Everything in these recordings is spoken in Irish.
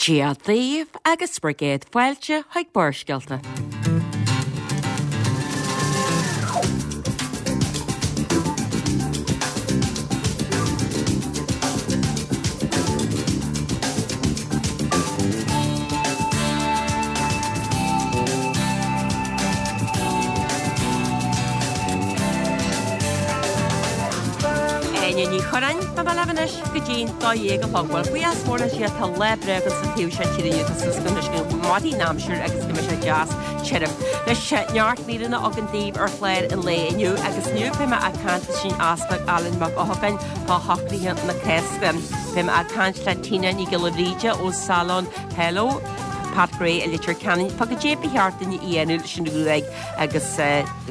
Dia daoibh agus bhur gcéad fáilte chuig Barrscéalta. Áine Ní Churráin, beidh mé libh anois go dtí'n 12 a chlog. Bhuel, buíochas mór le Dia, tá lá breá againn sa taobh seo tíre inniu, tá súil agam go mairfidh an aimsir agus go mbeidh sé deas tirim. Anois, neart míreanna againn daoibh ar chlár an lae inniu agus inniu beidh mé ag caint leis an Easpag Alan Mac Eochagáin fá shocruithe na Cásca. Beidh mé ag caint le Tina Ní Ghiolla Bhríde ó Salon Hello Pat Gray i Leitir Ceanainn fá goidé ba cheart duine a dhéanamh leis an ghruaig agus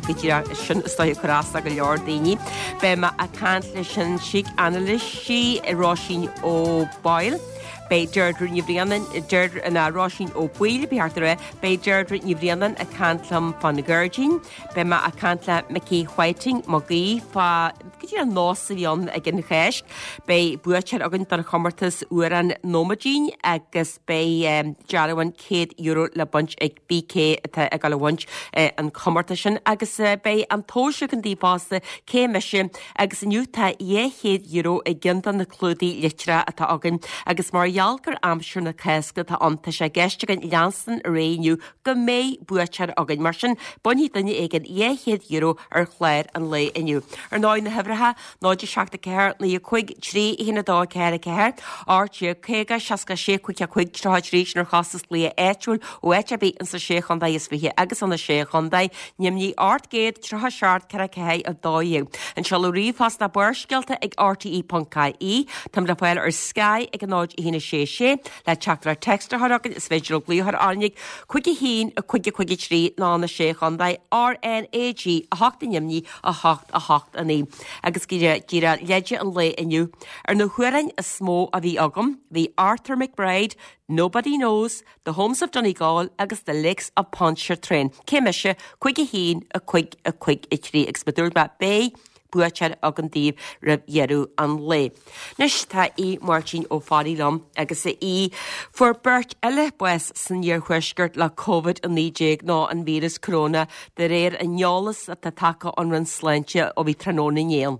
go díreach sin is dóigh ag cur as do go leor daoine. Beidh mé ag caint leis an sícanailísí Róisín O'Boyle. Beidh Deirdre Ní Bhraonáin, Deirdre ná Róisín Ó Baoill, ba cheart a rá, beidh Deirdre Ní Bhraonáin ag caint liom fán ghairdín. Beidh mé ag caint le Mickey Whiting Mag Aoidh fá goidé an nós a bhí ann ag an Cháisc. Beidh buaiteoir againn don chomórtas Amhrán Nóiméidín agus beidh dearbhán €100 le baint ag BK atá ag dul a bhaint an comórtas sin agus beidh an tomhas againn daoibh fosta, cé mise? Agus inniu tá €200 i gceann de na clúdaigh litreach atá againn agus mar gheall gur aimsir na Cásca atá ann tá sé i gceist againn leanstan ar aghaidh inniu go mbeidh buaiteoir againn. Mar sin, bainfidh duine éigin €200 ar chlár an lae inniu. Ar ndóigh, na huimhreacha, 0 7 4 9 5 3 1 2 4 4 18 50 66 5 5 33 sin ar chostas glaoch áitiúil ó áit ar bith ins na Sé Chontae is Fiche agus ó na Sé Chontae Nimhní 837 4 4 12. An seoladh ríomhphost ná barrscéalta ag rte.ie. Táim le fáil ar Sky ag 0 1 6 6 Le teachtaireacht text a chur chugainn is féidir libh glaoch a chur orainn ag 5 1 5 5 3 nó na Sé Chontae RnaG 8 i nDoimní 8 8 9 agus go díreach leide an lae inniu. Ar na hamhráin is mó a bhí agam bhí Arthur McBride, Nobody Knows, The Homes of Donegal agus The Lakes of Pontchartrain. Cé mise? 5 1 5 5 3 agus mar a dúirt mé beidh buaiteoir againn daoibh roimh dheireadh an lae. Anois tá Aodh Máirtín Ó Fearraigh liom agus a Aoidh, fuair beirt eile bás san iarthuaisceart le Covid-19 nó an víreas coróna de réir an eolas atá tagtha ón Roinn Sláinte ó bhí tráthnóna inné ann.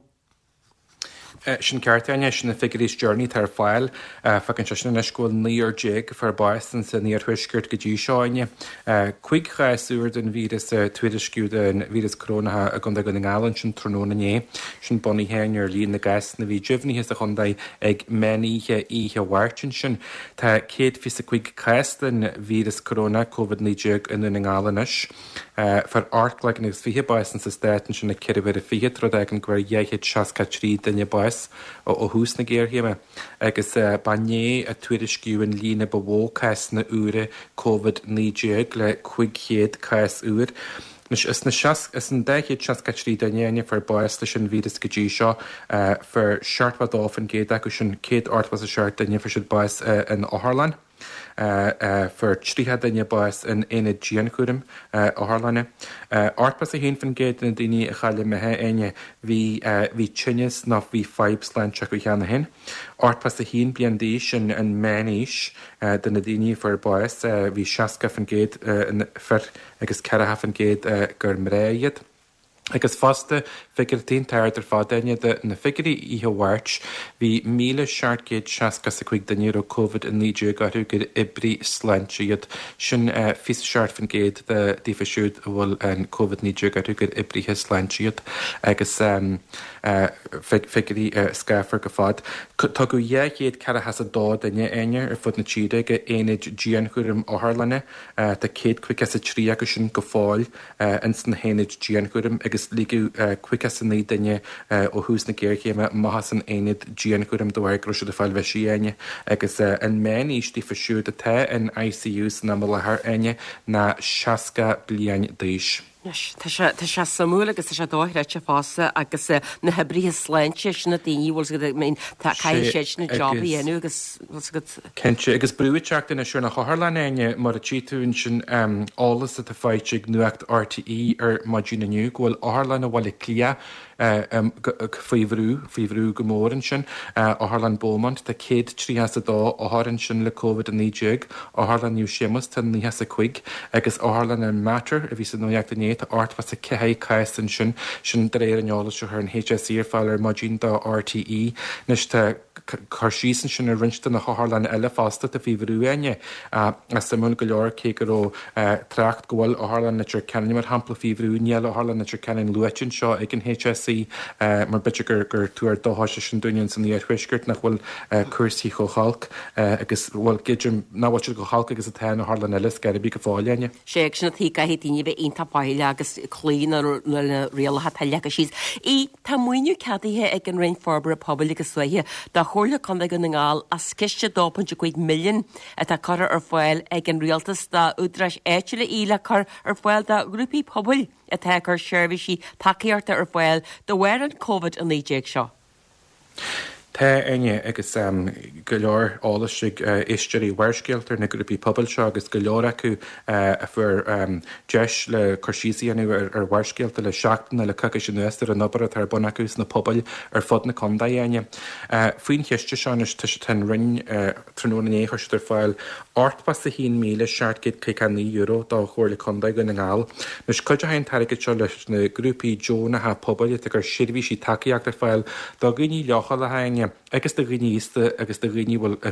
Sin ceart, Áine. Sin na figiúirí is deireanaí atá ar fáil. Fágann sé sin anois go bhfuil 19 a fuair bás insan iarthuaisceart go dtí seo, Áine. 5 chás úr den víreas a tuairisciú den víreas corónach i gContae Dhún na nGall ansin tráthnóna inné. Sin bunaithe, Áine, ar líon na gcásanna a bhí deimhnithe sa chontae ag meán oíche oíche Mháirt ansin. Tá 125 cás den víreas corónach, Covid-19, i nDún na nGall anois. Fuair 18 gcloigeann agus 20 bás insa stát ansin ag ceithre huaire fichead, rud a fhágann go bhfuair 263 duine bás ó thús na géarchéime. Agus ba inné a tuairiscíodh an líon ba mhó cásanna úra Covid-19 le 500 cás úr. Anois, as na as an 263 duine a fuair bás leis an víreas go dtí seo, fuair 72% acu sin, 187 duine, fuair siad bás in otharlann. Fuair 30 duine bás in aonad dianchúraim otharlainne. 81% de na daoine a chaill a mbeatha, Áine, bhí bhí tinneas nó bhí fadhb sláinte acu cheana féin. 81 bliain d'aois an an meánaois de na daoine a fuair bás. Bhí 60% fir agus 40% gur mná iad. Agus fosta, figiúr iontach ard ar fad, Áine, de na figiúirí oíche Mháirt, bhí 1,765 duine a raibh Covid-19 orthu gur oibrí sláinte iad. Sin 27% de daofa siúd a bhfuil an Covid-19 orthu gur oibrithe sláinte iad. Agus figiúirí scáfar go fad. Tugadh 242 duine, Áine, ar fud na tíre go aonaid dianchúraim otharlainne. Tá 153 acu sin go fóill. ins na haonaid dianchúraim agus ligeadh 59 duine ó thús na géarchéime amach as an aonad dianchúraim de bharr go raibh siad ag fáil bhisigh, Áine. Agus an meán-aois daofa siúd atá in ICU san am i láthair, Áine, ná 60 bliain d'aois. Anois, tá sé, tá sé suimiúil agus tá sé dochreidte fosta agus na hoibrithe sláinte, sin na daoine, bhfuil 's agat, I mean, tá, caithfidh siad sin an job a dhéanamh agus, bhfuil 's agat. Cinnte, agus brú ag teacht anois ar na hotharlanna, Áine, mar a tchí tú ansin eolas atá faighte ag Nuacht RTÉ ar maidin inniu go bhfuil Otharlanna Bhaile Átha Cliath. Faoi bhrú, faoi bhrú go mór ansin. Otharlann Beaumont, tá 132 othar ansin le Covid-19. Otharlann Naomh Séamus, tá 95 agus Otharlann an Mater, a bhí sa nuacht inné, tá 84 cás ansin. Sin de réir an eolais a chuir an HSE ar fáil ar maidin do RTÉ. Anois tá cur síos ansin ar roinnt de na hotharlanna eile fosta atá faoi bhrú, Áine. Suimiúil go leor, cé go raibh trácht go bhfuil Otharlann Leitir Ceanainn, mar shampla, faoi bhrú, níl Otharlann Leitir Ceanainn luaite anseo ag an HSE mar b'fhéidir gur tuar dóchais é sin dúinne san iarthuaisceart nach bhfuil cúrsaí chomh holc agus, bhuel, creidim nach bhfuil siad chomh holc agus atá in otharlann eile ar scor ar bith go fóill, Áine. Sea, agus sin an tuige caithfidh daoine a bheith iontach faichilleach agus cloí le na rialacha atá leagtha síos. Í. Tá maoiniú ceadaithe ag an Roinn Forbartha Pobail agus Tuaithe do Chomhairle Contae Dhún na nGall as ciste 2.5 milliún atá curtha ar fáil ag an Rialtas d'údaráis áitiúla í le cur ar fáil do ghrúpaí pobail atá ag cur seirbhísí tacaíochta ar fáil de bharr an Covid-19 seo. Tá, Áine, agus go leor eolais ag éisteoirí Bharrscéalta ar na grúpaí pobail seo agus go leor acu a fuair deis le cur síos a dhéanamh ar Bharrscéalta le seachtain nó le coicís anuas ar an obair atá ar bun acu sna pobail ar fud na contae, Áine. Faoin chiste seo anois tá tá an Roinn tráthnóna inné chuir siad ar fáil €81,759 do Chomhairle Contae Dhún na nGall. Anois cuideoidh an t-airgead seo leis na grúpaí deonacha pobail atá ag cur seirbhísí tacaíochta ar fáil do dhaoine leochaileacha, Áine, agus do dhaoine aosta agus do dhaoine bhfuil do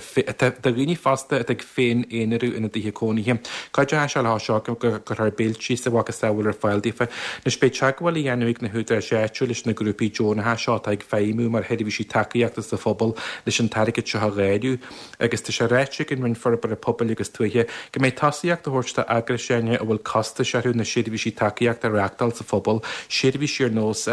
dhaoine fosta atá ag féin-aonarú ina dtithe cónaithe. Cuideoidh sé leo seo go gcuirfear béiltí is a mhacasamhail ar fáil daofa. Anois beidh teagmháil á dhéanamh ag na húdaráis áitiúil leis na grúpaí deonacha seo atá ag feidhmiú mar sheirbhísí tacaíochta sa phobal leis an t-airgead seo a dháileadh agus tá sé ráite ag an Roinn Forbartha Pobail agus Tuaithe go mbeidh tosaíocht á thabhairt d'eagrais, Áine, a bhfuil costais orthu na seirbhísí tacaíochta a reáchtáil sa phobal, seirbhísí ar nós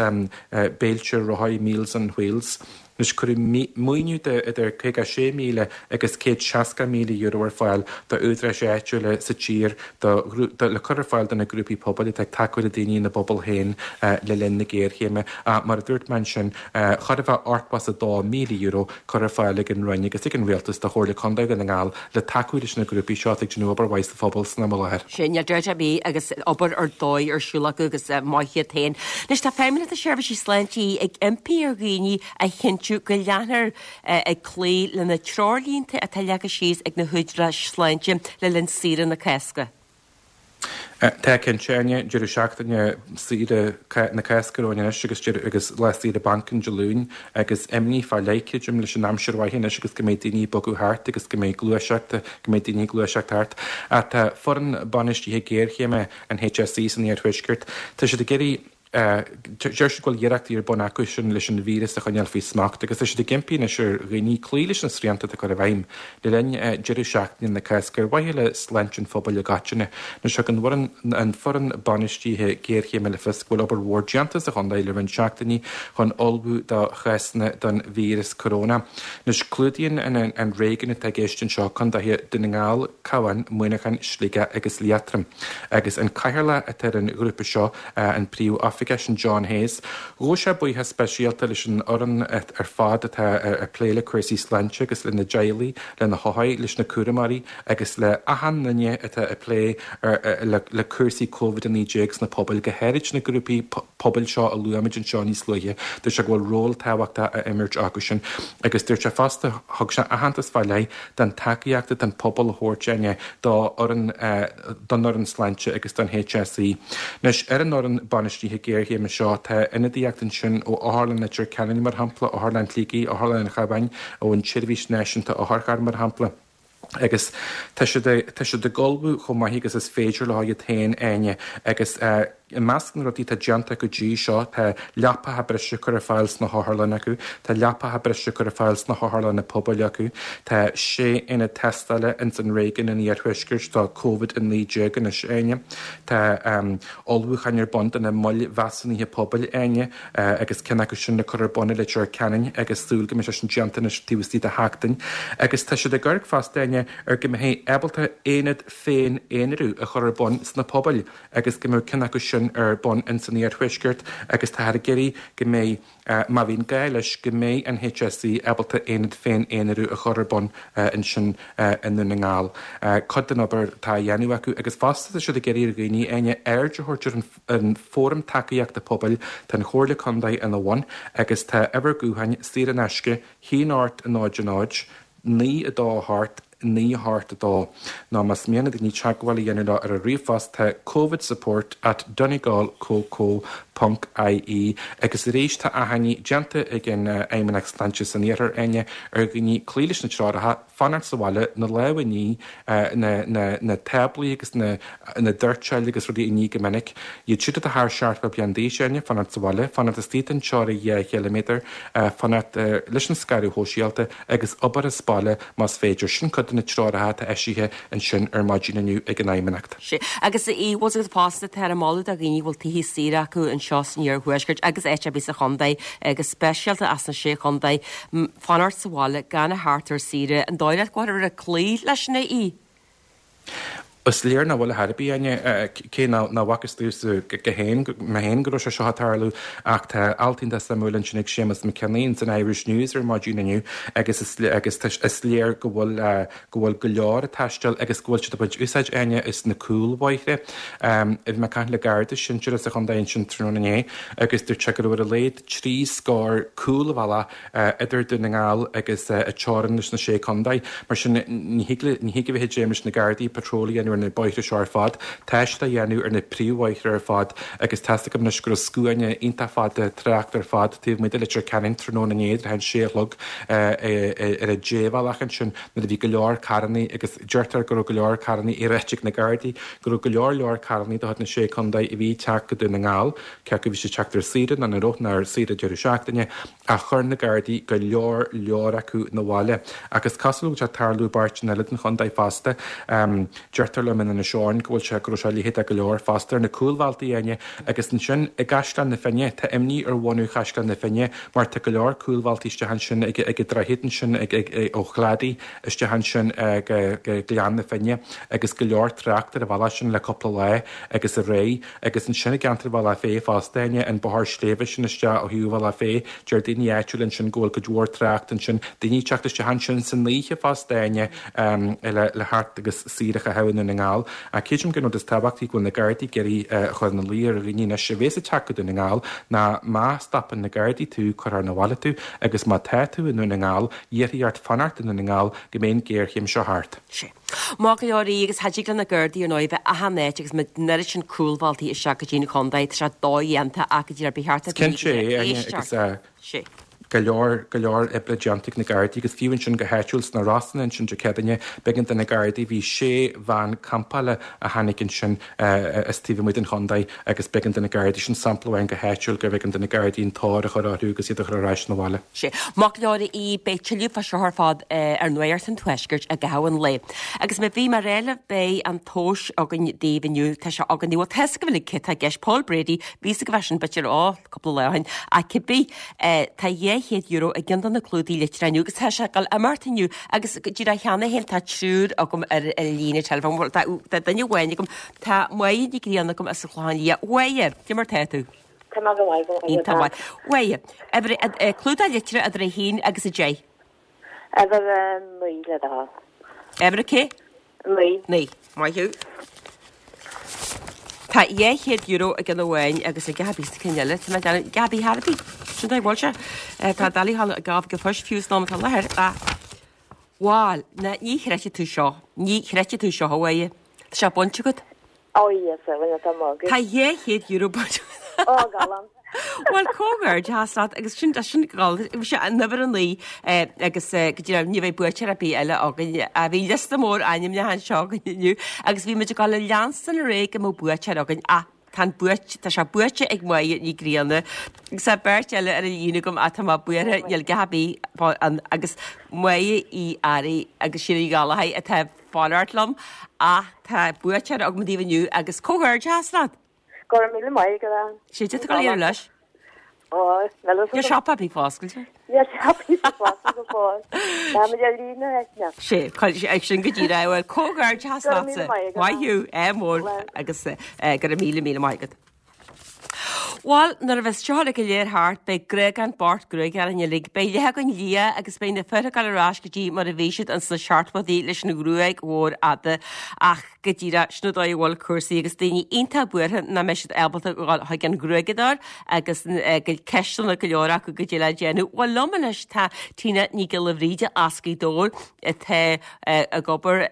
béilte rothaí Meals on Wheels. Anois cuireadh maoiniú de idir €56,000 agus €160,000 ar fáil d'údaráis áitiúla sa tír do le cur ar fáil do na grúpaí pobail atá ag tacú le daoine ina bpobal féin le linn na géarchéime. Mar a dúirt mé ansin, chóir a bheith €82,000 curtha ar fáil ag an Roinn agus ag an Rialtas do Chomhairle Contae Dhún na nGall le tacú leis na grúpaí seo atá ag déanamh obair mhaith sa phobal san am i láthair. Sin, níl dabht ar bith agus obair ar dóigh ar siúl acu agus maith iad féin. Anois tá Feidhmeannacht na Seirbhísí Sláinte ag impí ar dhaoine a chinntiú go leanfar ag cloí le na treoirlínte atá leagtha síos ag na húdaráis sláinte le linn saoire na Cásca. Tá cinnte, Áine, deireadh seachtaine saoire na Cásca romhainn anois agus deireadh agus lá saoire bainc an Dé Luain agus imní fá leith, creidim, leis an aimsir mhaith anois agus go mbeidh daoine ag bogadh thart agus go mbeidh gluaiseacht, go mbeidh daoine ag gluaiseacht thart. Ach tá foireann bainistithe géarchéime an HSE san iarthuaisceart, tá siad ag iarraidh, Deir siad go bhfuil iarrachtaí ar bun acu sin leis an víreas a choinneáil faoi smacht agus tá siad ag impí anois ar dhaoine cloí leis na srianta atá curtha i bhfeidhm le linn deireadh seachtaine na Cásca ar mhaithe le sláinte an phobail i gcoitinne. Anois thug an bhfoireann an foireann bainistithe géarchéime le fios go bhfuil obair mhór déanta sa chontae le roinnt seachtainí chun ullmhú do chásanna don víreas coróna. Anois clúdaíonn an réigiún atá i gceist anseo contaetha Dún na nGall, Cabhán, Muineachán, Sligeach agus Liatroim agus an cathaoirleach atá ar an ghrúpa seo, an Príomh-Oifigeach sin John Hayes. Ghabh sé buíochas speisialta leis an fhoireann ar fad atá ag plé le cúrsaí sláinte agus lena dteaghlaigh, le na hothair, leis na cúramóirí agus le achan duine atá ag plé le cúrsaí Covid-19 sna pobail, go háirid na grúpaí pobail seo a luaigh muid anseo níos luaithe. Dúirt sé go bhfuil ról tábhachtach á imirt acu sin agus dúirt sé fosta, thug sé aitheantas fá leith don tacaíocht atá an pobal a thabhairt Áine dá fhoireann, don fhoireann sláinte agus don HSE. Anois, ar an fhoireann bainistithe géarchéime seo, tá ionadaíocht ansin ó Otharlann Leitir Ceanainn, mar shampla, Otharlann Shligigh, Otharlann an Chabháin, ón tSeirbhís Náisiúnta Otharcharr, mar shampla. Agus tá siad, tá siad ag ullmhú chomh maith agus is féidir leo iad féin, Áine, agus. I measc na rudaí atá déanta acu go dtí seo tá leapacha breise curtha ar fáil sna hotharlanna acu, tá leapacha breise curtha ar fáil sna hotharlanna pobail acu, tá sé aonad tástála ins an réigiún an iarthuaiscirt do Covid-19 anois, Áine. Tá ullmhúcháin ar bun do na moil mheasúnaithe pobail, Áine, agus ceann acu sin le cur ar bun i Leitir Ceanainn agus súil go mbeidh sé sin déanta anois taobh istigh de sheachtain. Agus tá siad ag amharc fosta, Áine, ar go mbeifí ábalta aonad féin-aonarú a chur ar bun sna pobail. agus go mbeadh ceann acu sin. sin ar bun ins an iarthuaisceart agus táthar ag iarraidh go mbeidh, má bhíonn gá leis, go mbeidh an HSE ábalta aonad féin-aonarú a chur ar bun ansin i nDún na nGall. Cuid den obair atá á dhéanamh acu agus fosta tá siad ag iarraidh ar dhaoine, Áine, aird a thabhairt ar an Fóram Tacaíochta Pobail, tá an Chomhairle Contae ina bhun agus tá uimhir gutháin saor in aisce, 1 8 0 0, 9 2 8, 9 8 2. Nó más mian le daoine teagmháil a dhéanamh leo ar an ríomhphost tá covidsupport at donegalcoco ponc ie Agus arís tá achainí déanta ag an Fheidhmeannacht Sláinte san Iarthar, Áine, ar dhaoine cloí leis na treoracha, fanacht sa bhaile, na lámha a ní, na, na, na táblaí agus na, na doirteáil agus rudaí a ní go minic. Iad siúd atá thar 70 bliain d'aois, Áine, fanacht sa bhaile, fanacht istigh den teorainn 2 chiliméadar, fanacht leis an scaradh shóisialta agus obair as baile más féidir. Sin cuid de na treoracha atá eisithe ansin ar maidin inniu ag an Fheidhmeannacht. Sea, agus bhfuil a fhios agat fosta, táthar ag moladh do dhaoine a bhfuil tithe saoire acu anseo san iarthuaisceart agus áit ar bith sa chontae, go speisialta as na Sé Chontae, fanacht sa bhaile, gan a theacht ar saoire. An dóigh leat go bhfuilthear ag cloí leis sin, a Aoidh? Is léir nach bhfuil ar chor ar bith, Áine, cé nach bhfacthas domhsa go féin, mé féin go raibh sé seo ag tarlú ach tá alt iontach suimiúil ansin ag Séamus McKinney ins an Irish News ar maidin inniu agus is agus is léir go bhfuil go bhfuil go leor ag taisteal agus go bhfuil siad ag baint úsáid, Áine, as na cúlbhóithre. Bhí mé ag caint le Garda sinsearach sa chontae ansin tráthnóna inné agus dúirt sé go raibh ar a laghad 3 scór cúlbhealach idir Dún na nGall agus an teorainn leis na Sé Contae. Mar sin, ní thig le, ní thig a bheith ag dréim leis na Gardaí patról a dhéanamh ar na bóithre seo ar fad. Tá siad á dhéanamh ar na príomhbhóithre ar fad agus tá's agam anois go raibh scuaine iontach fada tráchta ar fad taobh amuigh de Leitir Ceanainn tráthnóna inné trátha an sé a chlog ar an débhealach ansin nuair a bhí go leor carrannaí agus deirtear go raibh go leor carrannaí á ráit ag na Gardaí go raibh go leor leor carrannaí de chuid na Sé Contae a bhí ag teacht go Dún na nGall cé acu bhí siad ag teacht ar saoire nó nach raibh, nó ar saoire deireadh seachtaine, ach chuir na Gardaí go leor leor acu 'na bhaile. Ach is cosúil go bhfuil sé ag tarlú i bpáirteanna eile den chontae fosta. Deirtear liom in Inis Eoghain go bhfuil sé, go raibh sé a leithéid de go leor fosta ar na cúlbhealtaí, Áine. Agus ansin i gCaisleán na Finne, tá imní ar bhunadh Chaisleán na Finne mar tá go leor cúlbhealtaí isteach ansin ag ag an droichead ansin ag ag ó Chladaí isteach ansin go go Gleann na Finne agus go leor trácht ar an bhealach sin le cúpla lá agus aréir. Agus ansin i gceantar Bhealach Féich fosta, Áine, an bóthar sléibhe sin isteach ó thaobh Bhealach Féich, deir daoine áitiúla ansin go bhfuil cuid mhór trácht ansin, daoine ag teacht isteach ansin san oíche fosta, Áine, le le theacht agus saoire a chaitheamh i nDún na nGall. Ach creidim gur an rud is tábhachtaí go bhfuil na Gardaí ag iarraidh a chur ina luí ar dhaoine anois a bhéas ag teacht go Dún na nGall ná má stopann na Gardaí tú, cuirfear 'na bhaile tú agus má tá tú i nDún na nGall, iarrfaí ort fanacht i nDún na nGall go mbeidh an ghéarchéim seo thart. Sea. Maith go leor í agus cha dtig le na Gardaí ar ndóigh bheith achan áit agus an oiread sin cúlbhealtaí isteach go dtí an chontae, tá sé dodhéanta ach go díreach ba cheart do dhaoine Cinnte é, Áine, agus Sea. go leor, go leor oibre déanta ag na Gardaí agus fiú ansin go háitiúil sna Rosanna ansin Dé Céadaoine, b'éigean do na Gardaí, bhí sé veain campála a tháinig ansin as taobh amuigh den chontae agus b'éigean do na Gardaí, sin sampla amháin go háitiúil gurbh éigean do na Gardaí an tóir a chur orthu agus iad a chur ar ais 'na bhaile. Sea. Maith go leor í, beidh tuilleadh fá seo ar fad ar Nuacht an Tuaiscirt i gcaitheamh an lae. Agus mar a bhí mé a rá libh beidh an tomhas againn daoibh inniu, tá sé againn, bhuel tá 'fhios agaibh uilig cé tá i gceist, Paul Brady, bhí 'fhios agaibh é sin b'fhéidir, ó, cúpla lá ó shin, ach cibé, tá €200 i gceann de na clúdaigh litreach inniu agus tá sé ag dul imeacht inniu agus go díreach cheana féin tá triúr agam ar an líne teileafóin, bhuel tá duine amháin agam, tá Máire Ní Ghrianna agam as an Chlochán Liath. Máire, cé mar tá tú? Tá mé go maith, go maith. Iontach maith. Mháire, uimhir, clúdach litreach idir 1 agus 10. Uimhir 9 le do thoil. Uimhir a cé? 9. 9. Maith thú. Tá €200 i gceann amháin agus ag gach ar bith sa ceann eile. Tá mé ag déanamh gach ar bith thar ar bith. Sin dóigh a bhfuil sé. Tá doiligh a ghabháil ag poist fiú san am atá i láthair. Ach, bhal, ná ní chreidfidh tú seo. Ní chreidfidh tú seo, a Mháire. Tá sé bainte agat. Ó Íosa, rinne tú magadh. Tá €200 bainte agat. Ó, galánta. Bhuel, comhghairdeachas leat agus sin, sin gal, bhí sé an uimhir 9 agus go dtí ní bheidh buaiteoir ar bith eile againn. Bhí liosta mór ainmneacha anseo againn inniu agus bhí muid ag dul a leanstan ar aghaidh go mbeadh buaiteoir againn ach tá an buait, tá sé buaite ag Máire Ní Ghrianna agus tá beirt eile ar an líne agam ach tá mé buartha, níl gach ar bith ann agus Máire Uí Fhearraigh agus Síle Ní Ghallchóir atá fanacht liom ach tá buaiteoir agam daoibh inniu agus comhghairdeachas leat! Go raibh míle maith agat. Sé duit a dhul iarraidh leis. Ó, níl Níl siopa ar bith foscailte. Níl siopa ar bith foscailte go fóill. Táimid ar líne eithne. Sé, ag sin go díreach, bhuel comhghairdeachas leatsa. Maith thú, ádh mór agus go raibh míle míle maith agat. Bhuel, nuair a bheas seo uilig go léir thart, beidh gruagán bocht gruaige orainn uilig. Beidh leath againn liath agus beidh na fir ag dul ar ais go dtí mar a bhí siad ins na seachtóidí leis an ghruaig mhór fhada. Ach go díreach, sin an dóigh a bhfuil cúrsaí agus daoine iontach buartha nach mbeidh siad ábalta dhul chuig an ghruaigeadóir agus ceisteanna go leor acu goidé le déanamh. Bhuel, liom anois tá Tina Ní Ghiolla Bhríde as Gaoth Dobhair atá ag obair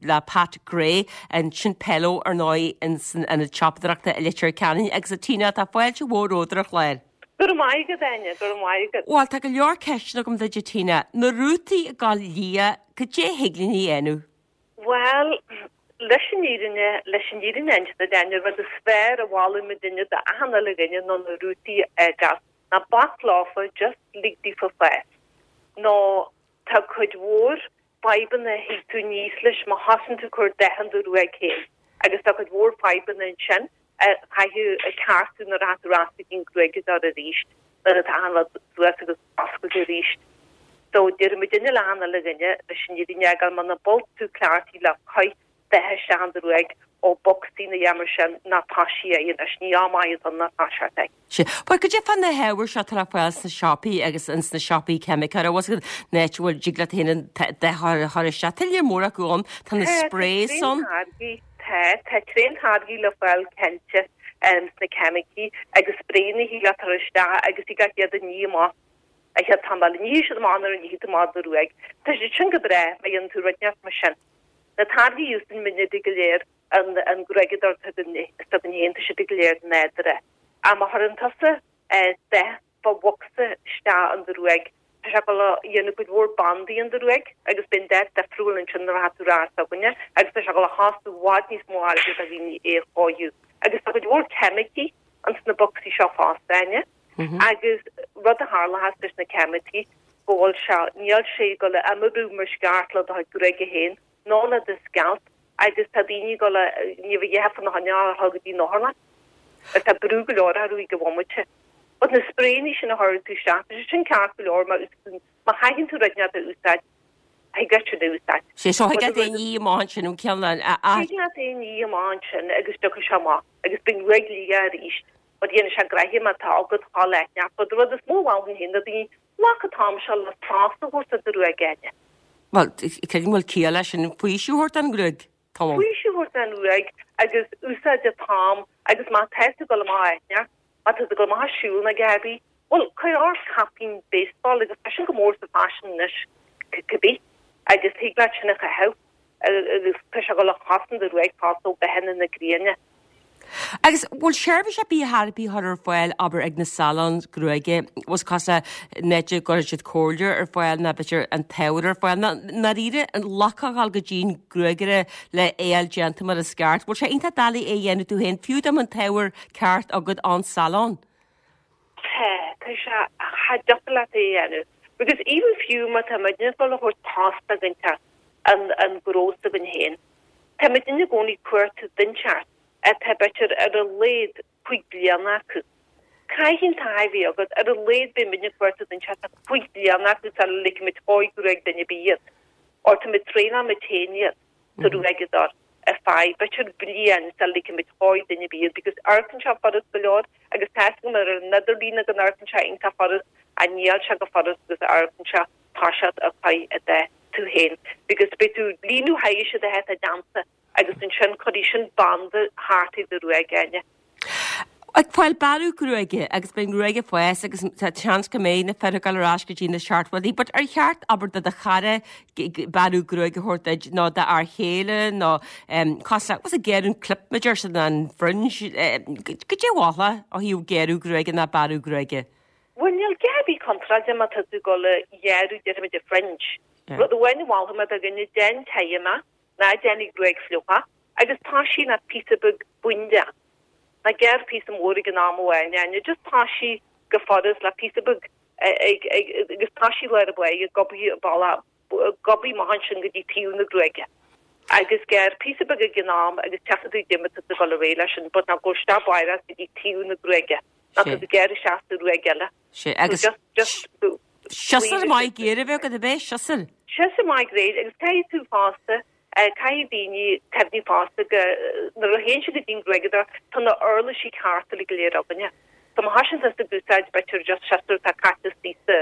le Pat Gray, ansin Pello ar ndóigh in san ionad siopadóireachta i Leitir Ceanainn agus a Tina, tá fáilte mhór romhat ar an chlár. Go raibh maith agat, Áine, go raibh maith agat. Bhuel, tá go leor ceisteanna agam duit a Tina. Na rútaí ag gabháil liath, cad é thig linn a dhéanamh? Bhuel, leis an fhírinne, leis an fhírinne a inse duit, Áine, rud is fearr a mholfadh muidinne d'achan uile dhuine ná na rútaí a fhágáil. Ná bac leofa, just lig daofa fás. Nó tá cuid mhór fadhbanna a thig tú aníos leis má thosaíonn tú ag cur dath in do ghruaig féin agus tá cuid mhór fadhbanna ansin a chaithfidh a ceartú nuair atá tú ar ais go dtí an gruaigeadóir arís nuair atá achan rud suas agus oscailte arís. So déarfaidh muidinne le achan uile dhuine leis an fhírinne a fhágáil muna bhfuil tú cleachtaithe le cur dath isteach in do ghruaig ó bocsaí nó a dhath mar sin ná toisigh é anois, ní am maith atá ann ná toiseacht é. Sea. Bhuel, cad é fá na hábhair seo atá le fáil sna siopaí agus ins na siopaí ceimiceáin, bhfuil a fhios agat, an áit a bhfuil, dtig leat féin an dath a chur isteach. Tá lear mór acu ann, tá na sprays ann. Tá, tá tréan-táirgí le fáil cinnte sna ceimicí agus spraeanna a thig leat a chur isteach agus thig leat iad a ní amach an chéad tamall. Nífidh siad amach nuair a nífidh tú amach do ghruaig. Tá siad sin go breá má dhéanann tú rud inteacht mar sin. Na táirgí a úsáideann muidne go léir an gruaigeadóir s'againn féin, tá siad go léir nádúrtha. Ach má chuireann tusa dath fá bhocsa isteach in do ghruaig, tá sé ag dul a dhéanamh cuid mhór bandaí in do ghruaig agus beidh an dath difriúil ansin nuair atá tú ar ais s'againne agus tá sé ag dul a chostú i bhfad níos mó airgid do dhaoine é a chóiriú. Agus tá cuid mhór ceimicí ins na bocsaí seo fosta, Áine. Agus rud a tharlóchas leis na ceimicí go bhfuil sé, níl sé ag dul a imoibriú mar is ceart le do chuid gruaige féin nó le do scealp agus tá daoine ag dul a, ní bheidh a dhath fána choinne a dhul go dtí an otharlann. Agus tá brú go leor orthu ag an bhomaite. But na spraeanna sin a chuireann tú isteach, tá sé sin ceart go leor má úsáideann, má chaitheann tú rud inteacht a úsáid, thig leat sin a úsáid. Sé so thig leat é a ní amach ansin an ceann a. Thig leat é a ní amach ansin agus tiocfaidh sé amach agus beidh an ghruaig liath arís. But dhéanfaidh sé gnoithe má tá agat dhul aithneach. But rud is mó a mholfainn féin do dhaoine, glac an t-am seo le sos a thabhairt do do ghruaig Áine. Bhuel, creidim go bhfuil ciall leis sin, faoiseamh a thabhairt don ghruaig, tamall. Faoiseamh a thabhairt don ghruaig agus úsáid an t-am agus má tá tú ag dul amach aithneach, má tá tú ag dul amach ag siúl nó a dhath ar bith, bhuel, cuir ort caipín baseball agus tá sin go mór sa faisean anois cibé agus thig leat sin a chaitheamh. agus tá sé ag dul a chosaint do ghruaig fosta ó gathanna na gréine. Agus bhfuil seirbhís ar bith ar bith chur ar fáil, abair, ag na salons gruaige, bhfuil cosúil le an áit a gcuireann siad comhairle ar fáil nó b'fhéidir an t-ábhar ar fáil, nó i ndáiríre an glacadh a dhul go dtí an gruagaire le é a fháil déanta mar is ceart. Bhfuil sé iontach doiligh é a dhéanamh tú féin, fiú dá mbeadh an t-ábhar ceart agat ón salon? Tá, tá sé, cha dtiocfadh leat é a dhéanamh. Because even fiú má tá muidne ag dul a thabhairt post do dhuine inteacht an, an gnó s'againn féin, tá muidne i gcónaí ag cuartú duine inteacht atá b'fhéidir ar a laghad 5 bliana acu. Caithfidh an taithí a bheith agat, ar a laghad beidh muidne ag cuartú duine inteacht atá 5 bliana acu sula ligfidh muid chóir gruaig duine ar bith iad. Or tá muid traenáil muid féin iad. sa ghruaigeadóir ar feadh b'fhéidir bliain sula ligfidh muid chóir duine ar bith iad because amharcann sé furast go leor agus tá fhios agam ar an idirlíon go n-amharcann sé iontach furast ach níl sé chomh furast agus a amharcann sé toiseacht ag cur an dath tú féin because beidh tú ag líonadh thairis an dath atá déanta agus ansin cuirfidh sin banda thart ar do ghruaig Áine. Ag fáil bearradh gruaige agus beidh an ghruaig ag fás agus tá seans go mbeidh na fir ag dul ar ais go dtí na seachtóidí but ar cheart abair do do chara bearradh gruaige a thabhairt duit nó d'fhear chéile nó cosúil le what's it gearradh an clip mar a deir siad an fringe goidé a mholfá ó thaobh gearradh gruaige ná bearradh gruaige. Bhuel níl a dhath ar bith contráilte má tá tú ag dul a ghearradh déarfaimid an fringe. Rud amháin a mholfaidh mé do dhuine déan tithe amach ná déan an ghruaig fliuch agus toisigh le píosa beag búinde. Ná gearr píosa mór ag an am amháin, Áine, just toisigh go furast le píosa beag ag, ag, agus toisigh lár an bhaile, gobadh bealach, gobadh amach ansin go dtí taobh na gruaige. Agus gearr píosa beag ag an am agus tchífidh tú goidé mar tá tú ag dul ar aghaidh leis sin, but ná gabh isteach baireach go dtí taobh na gruaige, ná tá tú ag gearradh isteach sa ghruaig eile. Sé, agus So just, just, siosúr maith géar a bheith agat, ab é, siosúr? Siosúr maith géar, agus caithfidh tú fosta, Caithfidh daoine cuimhneamh fosta go, nuair a théann siad go dtí an gruaigeadóir, tá na uirlisí cearta uilig go léir againne. So má thosaíonn tusa ag úsáid b'fhéidir just siosúr atá caite istigh sa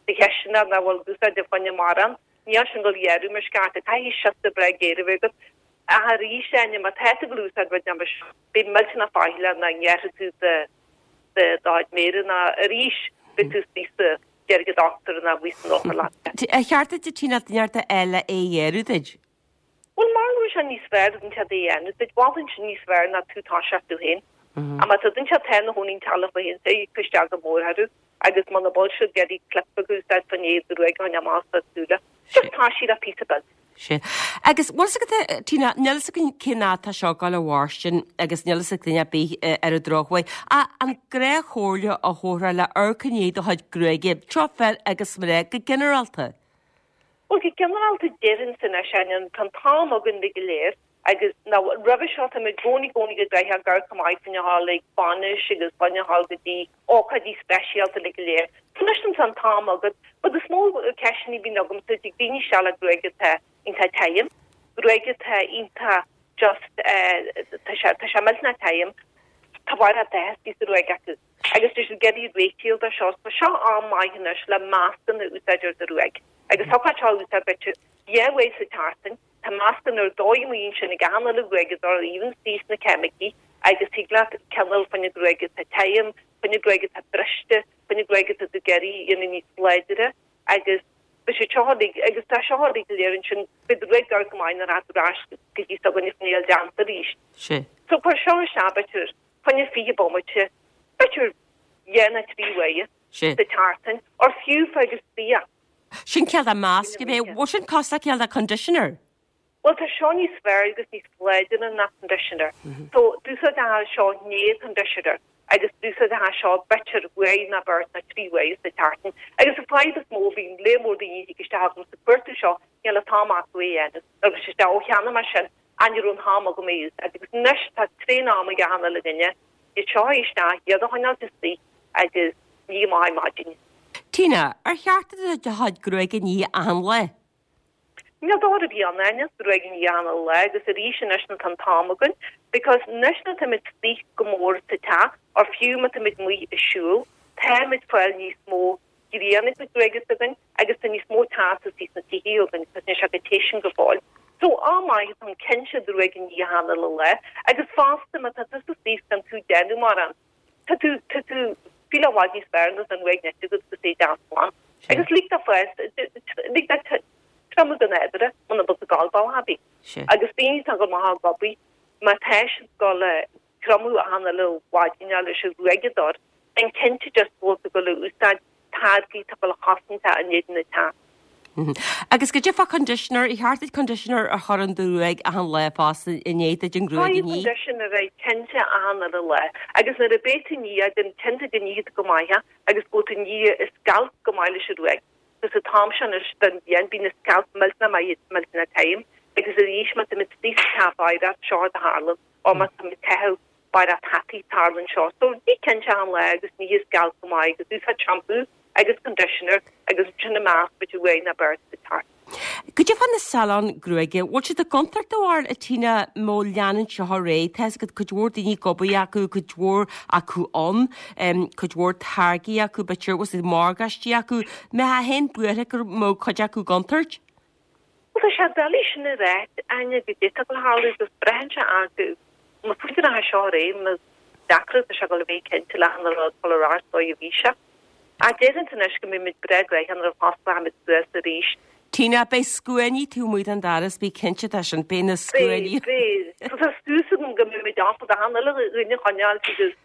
chisteanach nach bhfuil ag úsáid fá choinne mórán, níl sin ag dul a ghearradh mar is ceart. Caithfidh siosúr breá géar a bheith agat. Ach arís, Áine, má tá tú ag dul a úsáid rud mar seo, bí millteanach faichilleach nach ngearrfaidh tú do do chuid méire ná arís beidh tú istigh sa deirge dochtúra ná amuigh san otharlann. Ar cheart duit a Tina duine inteacht a fháil le é a ghearradh duit? Bhuel, mar go bhfuil sé níos fearr duine inteacht é a dhéanamh duit, mholfainn sin níos fearr ná tú toiseacht tú féin. Ach má tá duine inteacht atá ina chónaí an teaghlach fá féin, say cuir isteach go mór orthu agus muna bhfuil siad ag iarraidh clip beag a úsáid fá choinne do ghruaig a choinneáil amach as do shúile, just toisigh le píosa beag. Sea. Agus bhfuil fhios agat, Tina, níl fhios againn cén fhad tá seo ag dul a mhairstin agus níl fhios ag duine ar bith ar an drochuair. Ach an gnáthchomhairle a thabharfá le amharc i ndiaidh do chuid gruaige, seo fir agus mná, go ginearálta? Bhuel, go ginearálta déarfainnse anois, Áine, tá an t-am againn uilig go léir agus ná roimhe seo tá muid i gcónaí gcónaí go gcaithfeá ag amharc go maith fá choinne a ghabháil ag bainis agus fá choinne a ghabháil go dtí ócáidí speisialta uilig go léir. So anois tá an t-am agat, but is mó ceisteanna a bhíonn agamsa, tig daoine isteach le gruaig atá iontach tirim, gruaig atá iontach just eh tá sé tá sé millteanach tirim, tá barra dath istigh sa ghruaig acu agus tá siad ag iarraidh réitíl dó seo. So seo am maith anois le meascán a úsáid ar do ghruaig agus thiocfadh seo a úsáid b'fhéidir dhá uair sa tseachtain. Tá meascán ar dóigh amuigh ansin ag achan uile ghruaigeadóir, even istigh sna ceimicí, agus thig leat cineál fá choinne gruaig atá tirim, fá choinne gruaig atá briste, fá choinne gruaig atá tú ag iarraidh a dhéanamh níos láidre, agus beidh sé seo uilig, agus tá seo uilig go léir ansin, beidh do ghruaig ag amharc go maith nuair atá tú ar ais go dtí s'againne fá choinne a fháil déanta arís. Sea. So cuir seo isteach b'fhéidir, fá choinne 20 bomaite, b'fhéidir dhá nó trí uaire Sea. sa tseachtain, or fiú fág istigh é. Sin cineál de masc a bheith, bhfuil sin cosúil le cineál de conditioner? Bhuel tá seo níos fearr agus níos láidre ná conditioner. So d'úsáidfeá seo i ndiaidh conditioner agus d'úsáidfeá seo b'fhéidir uair nó beirt nó trí uaire sa tseachtain. Agus an fadhb is mó a bhíonn lear mór daoine a thig isteach agam sa cuartú seo níl an t-am acu é a dhéanamh. Nó agus isteach ó cheannaigh mé sin ach ní raibh an t-am agam é a úsáid. Agus anois tá tréan am ag achan uile dhuine iad seo a isteach, iad a choinneáilt istigh agus nigh amach ar maidin. Tina, ar cheart duit do chuid gruaige a ní achan lá? Níl dochar ar bith ann, Áine, gruaig a ní achan lá agus arís anois nuair atá an t-am againn because anois nuair atáimid istigh go mór sa teach or fiú má táimid amuigh ag siúl, táimid fáil níos mó grian ar an ghruaig s'againn agus tá níos mó teas istigh sna tithe againn because níl sé chomh te sin go fóill. So am maith atá ann cinnte do ghruaig a ní achan uile lá agus fosta má tá tusa istigh gan tú ag déanamh mórán tá tú tá tú feel i bhfad níos fearr nuair atá an ghruaig nite agat agus é deas glan. Agus lig dó fás lig dó triomú go nádúrtha muna bhfuil tú ag gabháil bealach ar bith. Agus daoine atá ag dul amach ag obair má tá siad ag dul a triomú achan uile mhaidin leis an ghruaigeadóir, déan cinnte just go bhfuil tú ag dul a úsáid táirgí atá ag dul a chosaint in éadan an teas. Agus goidé fá conditioner, ar cheart duit conditioner a chur in do ghruaig achan lá fosta i ndiaidh duit an ghruaig a ní? Caithfidh conditioner é cinnte achan uile lá. Agus nuair a beidh tú ag ní é, déan cinnte go nífidh tú go maith é agus go bhfuil tú ag ní an scalp go maith leis an ghruaig. Agus an t-am seo anois den bhliain bíonn an scalp millteanach maith millteanach tirim agus arís má táimid istigh sa teach oidhreacht seo a tharlann. Ó má tá mé ag caitheamh barra hataí tarlaíonn seo. So bí cinnte achan lá agus nigh an scalp go maith agus úsáid shampoo agus conditioner agus ansin an masc b'fhéidir uair nó beirt sa tseachtain. Goidé fá na saláin gruaige, bhfuil siad i gcontúirt do bharúil a Tina má leanann seo ar aghaidh? Tá fhios agat cuid mhór daoine ag obair acu, cuid mhór acu ann, cuid mhór táirgí acu, b'fhéidir, bhfuil siad morgáistí acu. Mbeifeá féin buartha go mbeadh cuid acu i gcontúirt? Bhuel, tá sé doiligh sin a ráit, Áine, goidé atá ag gabháil a tharlú agus braitheann sé ar go má fuair an seo ar aghaidh, más deacra tá sé ag gabháil a bheith cinnte le hachan rud dul ar ais dóigh a bhí sé. Ach déarfainnse anois go mbeidh muid breá gnoitheach nuair a fosclóimid suas arís. Tina, beidh scuainí taobh amuigh den doras, bí cinnte de sin, beidh na scuainí. Beidh, beidh. Tá súil agam go mbeidh muid ábalta achan uile dhuine a choinneáil agus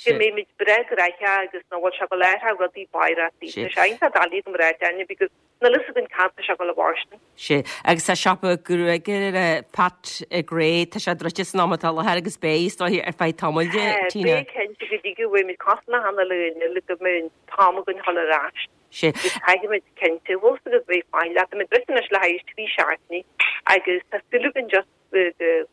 go mbeidh muid breá gnoitheach agus nach bhfuil sé ag gabháil a athrú rudaí báireachtaí. Tá sé iontach doiligh agam a ráit, Áine, because Níl fhios againn cad tá sé ag gabháil a mhairstin. Sea, agus tá siopa gruaige Pat Gray, tá sé druidte san am atá i láthair agus beidh, is dóiche, ar feadh tamaill, Tá, Tina. beidh cinnte go dtí go bhfaighimid cosán achan uile dhuine le go mbeidh an t-am againn dhul ar ais. Sea. Agus caithfimid cinnte, bhfuil fhios agat bheith faichilleach, leat, táimid druidte anois le haghaidh trí seachtainí agus tá súil againn just go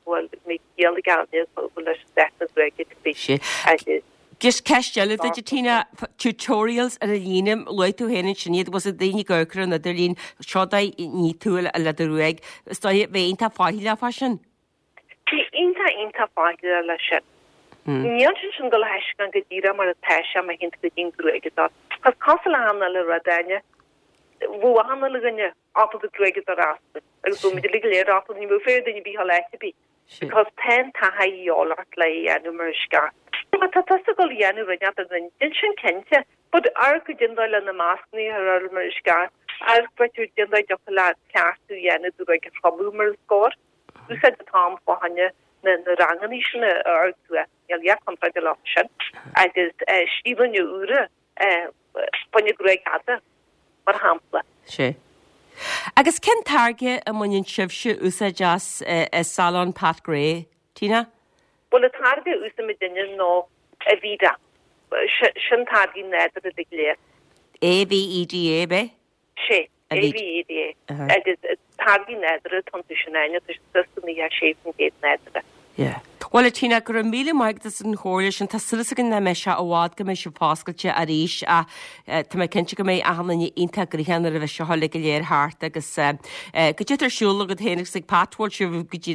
bhfuil mé ciall ag Áine go bhfuil leis an deich na gruaige to be Sea. agus Just ceist eile duit, a Tina, tutorials ar an líne, luaigh tú féin ansin iad, bhfuil daoine ag amharc ar an idirlíon, seo dóigh a ní tú le do ghruaig, is dóigh bheith iontach faichilleach fá sin. Bí iontach iontach faichilleach leis sin. Níl sé sin ag dul a thaispeáint go díreach mar atá sé má théann tú go dtí an gruaigeadóir. Cos cosúil le achan uile rud, Áine, bheadh achan uile dhuine ábalta gruaigeadóir a fhoscladh agus bheadh muid uilig go léir ábalta, ní bheadh féar duine ar bith a dhul áit ar bith because tá an taithí a dhíobháil ort le é a dhéanamh mar is ceart. Má tá tusa ag dul a dhéanamh rud inteacht ar an intinn sin cinnte, but amharc goidé an dóigh le na mascanna a chur ort mar is ceart, amharc b'fhéidir goidé an dóigh a dtiocfadh leat cleachtadh a dhéanamh do ghruaig a thriomú mar is cóir. Úsáid an t-am fá choinne na ranganna sin a amharc suas, níl a dhath contráilte leo sin, agus stíleanna úra fá choinne gruaig fhada, mar shampla. Sea. Agus cén táirge a mbaineann sibhse úsáid as i Salon Pat Gray, Tina? Bhuel, an táirge a úsáidimidne ná Aveda. Sin táirgí nádúrtha uilig go léir. A-V-E-D-A, ab é? Sea, A-V-E-D-A. Agus táirgí nádúrtha atá iontu sin, Áine, tá siad suas go 96% nádúrtha. Yeah. Bhuel, a Tina, go raibh míle maith agat as an chomhairle sin. Tá súil againn nach mbeidh sé i bhfad go mbeidh sibh foscailte arís ach tá mé cinnte go mbeidh achan duine iontach gnoitheach nuair a bheidh seo uilig go léir thart agus goidé atá ar siúl agat féin agus ag Pat, bhfuil sibh go dtí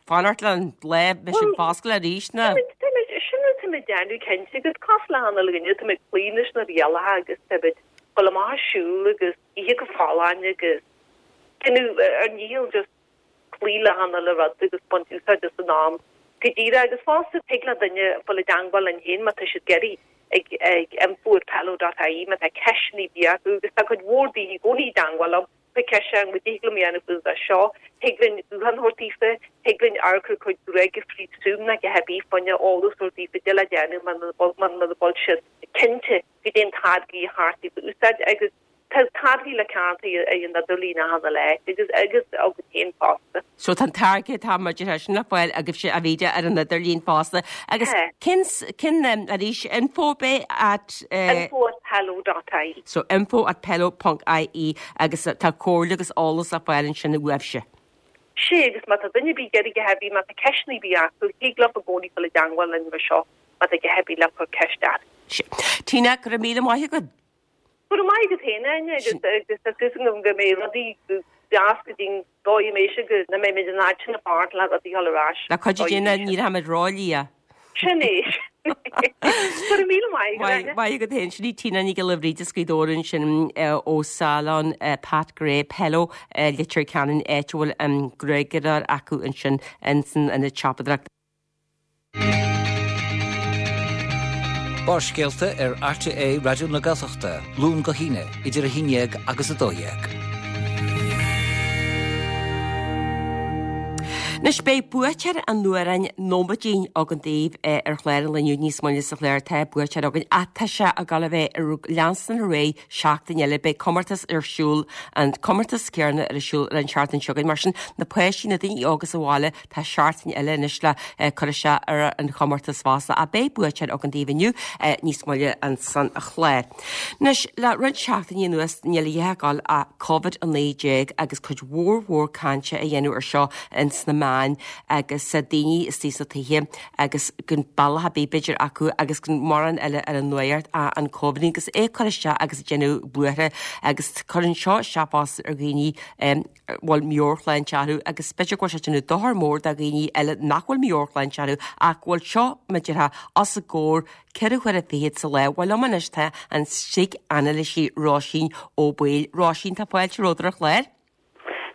fanacht le an lá a mbeidh sibh foscailte arís nó? Táimid, sin rud táimid ag déanamh cinnte agus cosúil le achan uile dhuine, táimid ag cloí leis na rialacha agus táimid ag dul amach ag siúl agus ithe go folláin agus déanamh ár ndícheall just cloí le achan uile rud agus baint úsáid as an am go díreach agus fosta tig le duine dul i dteangmháil linn féin má tá siad ag iarraidh ag ag info at pello dot ie má tá ceisteanna ar bith acu agus tá cuid mhór daoine i gcónaí i dteangmháil liom Tá ceist ann, goidé thig liom a dhéanamh faoi seo, thig linn guthán a thabhairt daofa, thig linn amharc ar chuid gruaige fríd Zoom nó a dhath ar bith fá choinne eolas a thabhairt daofa goidé le déanamh muna bhfuil siad cinnte goidé an táirgí ba cheart daofa a úsáid agus tá táirgí le ceannach ar an idirlíon achan uile áit agus agus againn féin fosta. So tá an táirge atá muid ar sin le fáil agaibhse Aveda ar an idirlíon fosta. Agus cén cén arís info be at Info at pello dot ie. So info at pello ponc ie agus tá comhairle agus eolas le fáil ansin uaibhse. Sea, agus má tá duine ar bith ag iarraidh a dhath ar bith, má tá ceisteanna ar bith acu, thig leo i gcónaí dul i dteangmháil linn mar seo má tá a dhath ar bith le cur ceist ort. Sea. Tina, go raibh míle maith agat. Go raibh maith agat féin, Áine, agus agus tá súil agam go mbeidh rudaí go deas go dtí'n dóigh a mbeidh sé go mbeidh muid in áit na fanacht le rudaí a dhul ar ais. Le cuidiú Dé ní rachaimid róliath. Sin é. Go raibh míle maith agat, Áine. Maith agat féin. Sin í Tina Nic Giolla Bhríde as Gaoth Dobhair ansin ó Salon Pat Gray Pello Leitir Ceanainn, áit a bhfuil an gruaigeadóir acu ansin ins an ionad siopadóireachta. Barrscéalta ar RTÉ Raidió na Gaeltachta, Luan go hAoine, idir 11 agus 12. Anois beidh buaiteoir an amhráin Nóiméidín againn daoibh ar chlár an lae inniu níos moille sa chlár. Tá buaiteoir againn ach tá sé ag dul a bheith ag leanstan ar aghaidh seachtain eile. Beidh comórtas ar siúl, an comórtas céanna ar siúl ar an tseachtain seo chugainn. Mar sin, na páistí, na daoine óga sa bhaile, Tá seachtain eile anois le cur isteach ar an chomórtas fosta ach beidh buaiteoir againn daoibh inniu níos moille ansan sa chlár. Anois, le roinnt seachtainí anuas níl a dhath ag dul ach Covid-19 agus cuid mhór mhór cainte á dhéanamh ar seo ins na meáin agus daoine istigh sna tithe agus gan bealach ar bith b'fhéidir acu agus gan mórán eile ar an nuacht ach an Covid agus é ag cur isteach agus ag déanamh buartha agus cuireann seo isteach fosta ar dhaoine bhfuil meabhairshláinte orthu agus b'fhéidir go bhfuil sé ag déanamh dochar mór do dhaoine eile nach bhfuil meabhairshláinte orthu ach go bhfuil seo, mar a déarfá, os a gcomhair ceithre huaire fichead sa lá. Bhuel liom anois tá an síc-anailísí Róisín Ó Baoill. Róisín, tá fáilte romhat ar an chlár.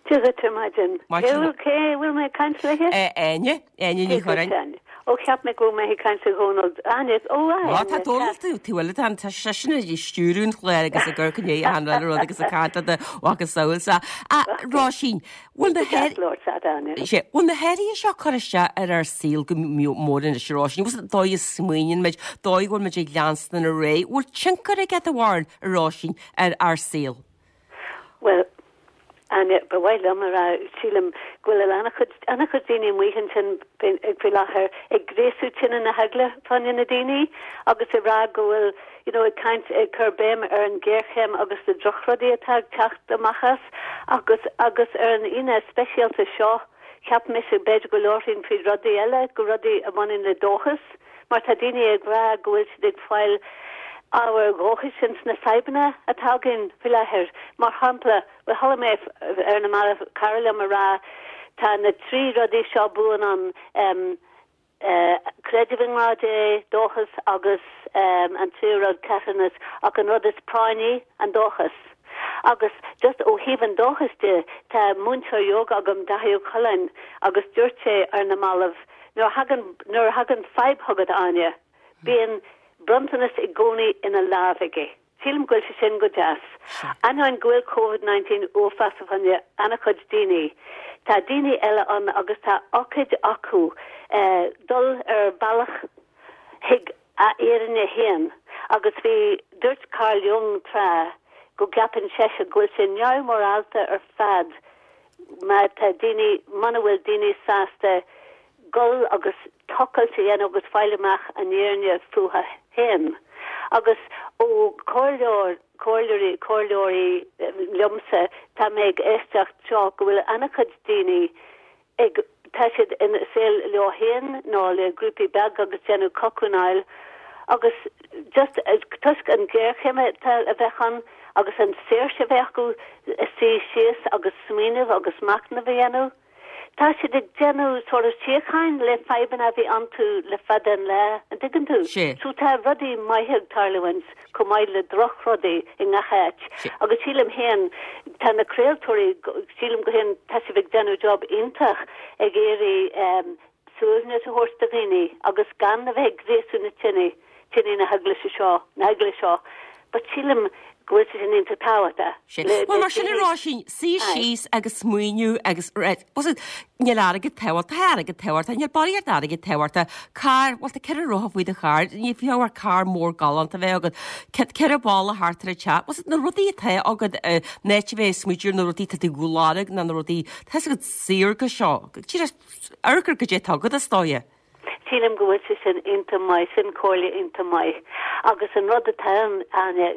Dia dhuit ar maidin. Cé a bhfuil mé ag caint léi? Áine. Áine Ní Churráin. Ó, cheap mé go raibh mé ag caint le Dhónal. Áine, ó, a Áine. Tá Dónal tú, tú bhfuil tá tá seisean ag stiúradh an chláir agus ag cur chun achan uile rud agus ag caint le do mhacasamhail sa. A Róisín, bhfuil na Sé, bhfuil na hathruithe seo ag cur isteach ar ár saol go mór anois, a Róisín? Bhfuil an dóigh a smaoiníonn muid, dóigh a bhfuil muid ag leanstan ar aghaidh, bhfuil tionchar aige do bharúil, a Róisín, ar ár saol? Bhuel, Áine, ba mhaith liom a rá, sílim go bhfuil an-chuid, an-chuid daoine amuigh ansin faoi láthair ag gréasú tine na heagla fá choinne na daoine agus ag rá go bhfuil, you know, ag caint, ag cur béim ar an ghéarchéim agus na drochrudaí atá ag teacht amach as agus, agus ar an Aoine speisialta seo, cheap mise b'fhéidir go labharfainn faoi rudaí eile, go rudaí a bhaineann le dóchas. Mar tá daoine ag rá go bhfuil siad ag fáil ábhair dhóchais ins na fadhbanna atá againn faoi láthair. Mar shampla, bhuel chuala mé ar na mallaibh cara liom a rá tá na trí rudaí seo buan ann, em. Creideamh i ngrá Dé, dóchas agus an tríú rud, carthanas, ach an rud is práinní, an dóchas. Agus just ó thaobh an dóchais de, tá múinteoir yoga agam, Daithí Ó Coileáin, agus dúirt sé ar na mallaibh, nuair a thagann, nuair a thagann fadhb chugat, Áine, bíonn bronntanas i gcónaí ina lámh aige. Sílim go bhfuil sé sin go deas. Ainneoin go bhfuil Covid 19 uafásach fá choinne an-chuid daoine, tá daoine eile ann agus tá ócáid acu dul ar bealach chuig a fhírinne féin. Agus bhí, dúirt Carl Jung tráth go gceapann seisean go bhfuil sé neamh-mhorálta ar fad má tá daoine, muna bhfuil daoine sásta gul agus tochailt a dhéanamh agus fáil amach an fhírinne fúthu féin. Agus ó chomhairleoir, comhairleoirí, comhairleoirí liomsa, tá mé ag éisteacht seo go bhfuil an-chuid daoine ag, tá siad ina saol leo féin nó le grúpaí beag agus déanamh cocúnáil agus just toisc an ghéarchéim atá a bheith ann agus an saoirse a bheith acu suí síos agus smaoineamh agus machnamh a dhéanamh. Tá siad ag déanamh sort of síocháin le fadhbanna a bhí iontu le fada an lá, an dtuigeann tú? Sea. So tá rudaí maithe ag tarlúint chomh maith le drochrudaí i ngach áit. Sea. Agus sílim féin, tá na craoltóirí, sílim go féin, tá sibh ag déanamh job iontach ag iarraidh suaimhneas a thabhairt do dhaoine agus gan a bheith ag gríosú na tine, tine na heagla seo, na heagla seo. But sílim go bhfuil sé sin iontach tábhachtach. Sea. Bhuel, mar sin a Róisín, suí síos agus smaoineamh agus, right, was it, níl airgead tábhachtach, tá airgead tábhachtach, níl barraíocht airgid tábhachtach, carr, bhuel tá ceithre rotha faoi do charr, ní fiú ar carr mór galánta a bheith agat, ceithre balla thart ar an teach, was it, na rudaí atá agat, in áit a bheith ag smaoitiú ar na rudaí atá tú ag lorg ná na rudaí, tá a fhios agat saorga seo, díreach amharc ar goidé atá agat is dóigh. Sílim go bhfuil sé sin iontach maith, sin comhairle iontach maith. Agus an rud atá ann, Áine,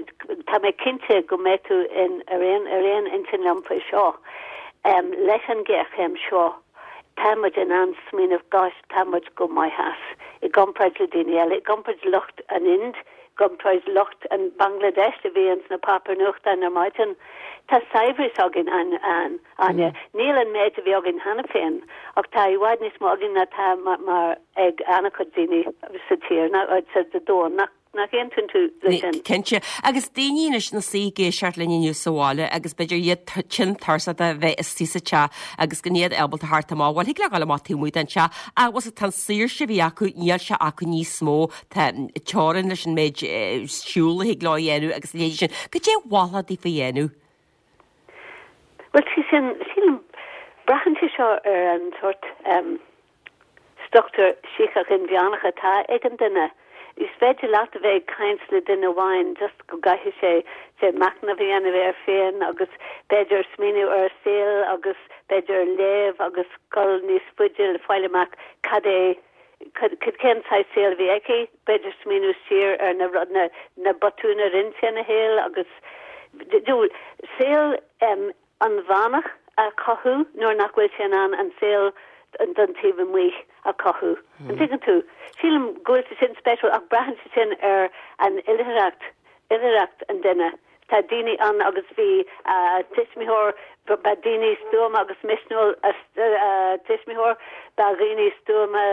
tá mé cinnte go mbeidh tú in, ar aon, ar aon intinn liom faoi seo, em, leis an ghéarchéim seo, tá muid in ann smaoineamh, gosh, tá muid go maith as, i gcomparáid le daoine eile, i gcomparáid le lucht an Ind, gcomparáid lucht an Bangladesh a bhí ins na páipéir nuachtáin ar maidin. Tá saibhreas againn, Áine. Níl an méid a bhí againn cheana féin, ach tá i bhfad níos mó againn ná tá mar ag an-chuid daoine sa tír, ná sa domhan. Nach nach aontaíonn tú leis sin? Cinnte. Agus daoine anois ina suí ag éisteacht linn inniu sa bhaile agus b'fhéidir iad tinn tuirseach de bheith istigh sa teach agus gan iad ábalta theacht amach, bhuel, thig leo dul amach taobh amuigh den teach ach bhfuil tá an saoirse a bhí acu, níl sé acu níos mó. Tá teorainn leis an méid siúl a thig leo a dhéanamh agus a leithéidí sin. Cad é a mholfá daofa a dhéanamh? Bhuel, sé sin, sílim, braitheann sé seo ar an sórt struchtúr síceach inmheánach atá ag an duine. Is féidir leat a bheith ag caint le duine amháin just go gcaithfidh sé sé machnamh a dhéanamh air féin agus b'fhéidir smaoineamh ar a saol agus b'fhéidir léamh agus dul níos faide le fáil amach cad é Cén saghas saol a bhí aici? B'fhéidir smaoineamh siar ar na rud, na, na botúin a rinne sé ina shaol agus, you know, saol inmheánach a chothú nuair nach bhfuil sé in ann an saol don taobh amuigh a chothú. An dtuigeann tú? Sílim go bhfuil sé sin spéisiúil ach braitheann sé sin ar an oilithreacht, oilithreacht an duine. Tá daoine ann agus bhí a tuismitheoir, ba daoine stuama agus misniúil a tuismitheoir, ba dhaoine stuama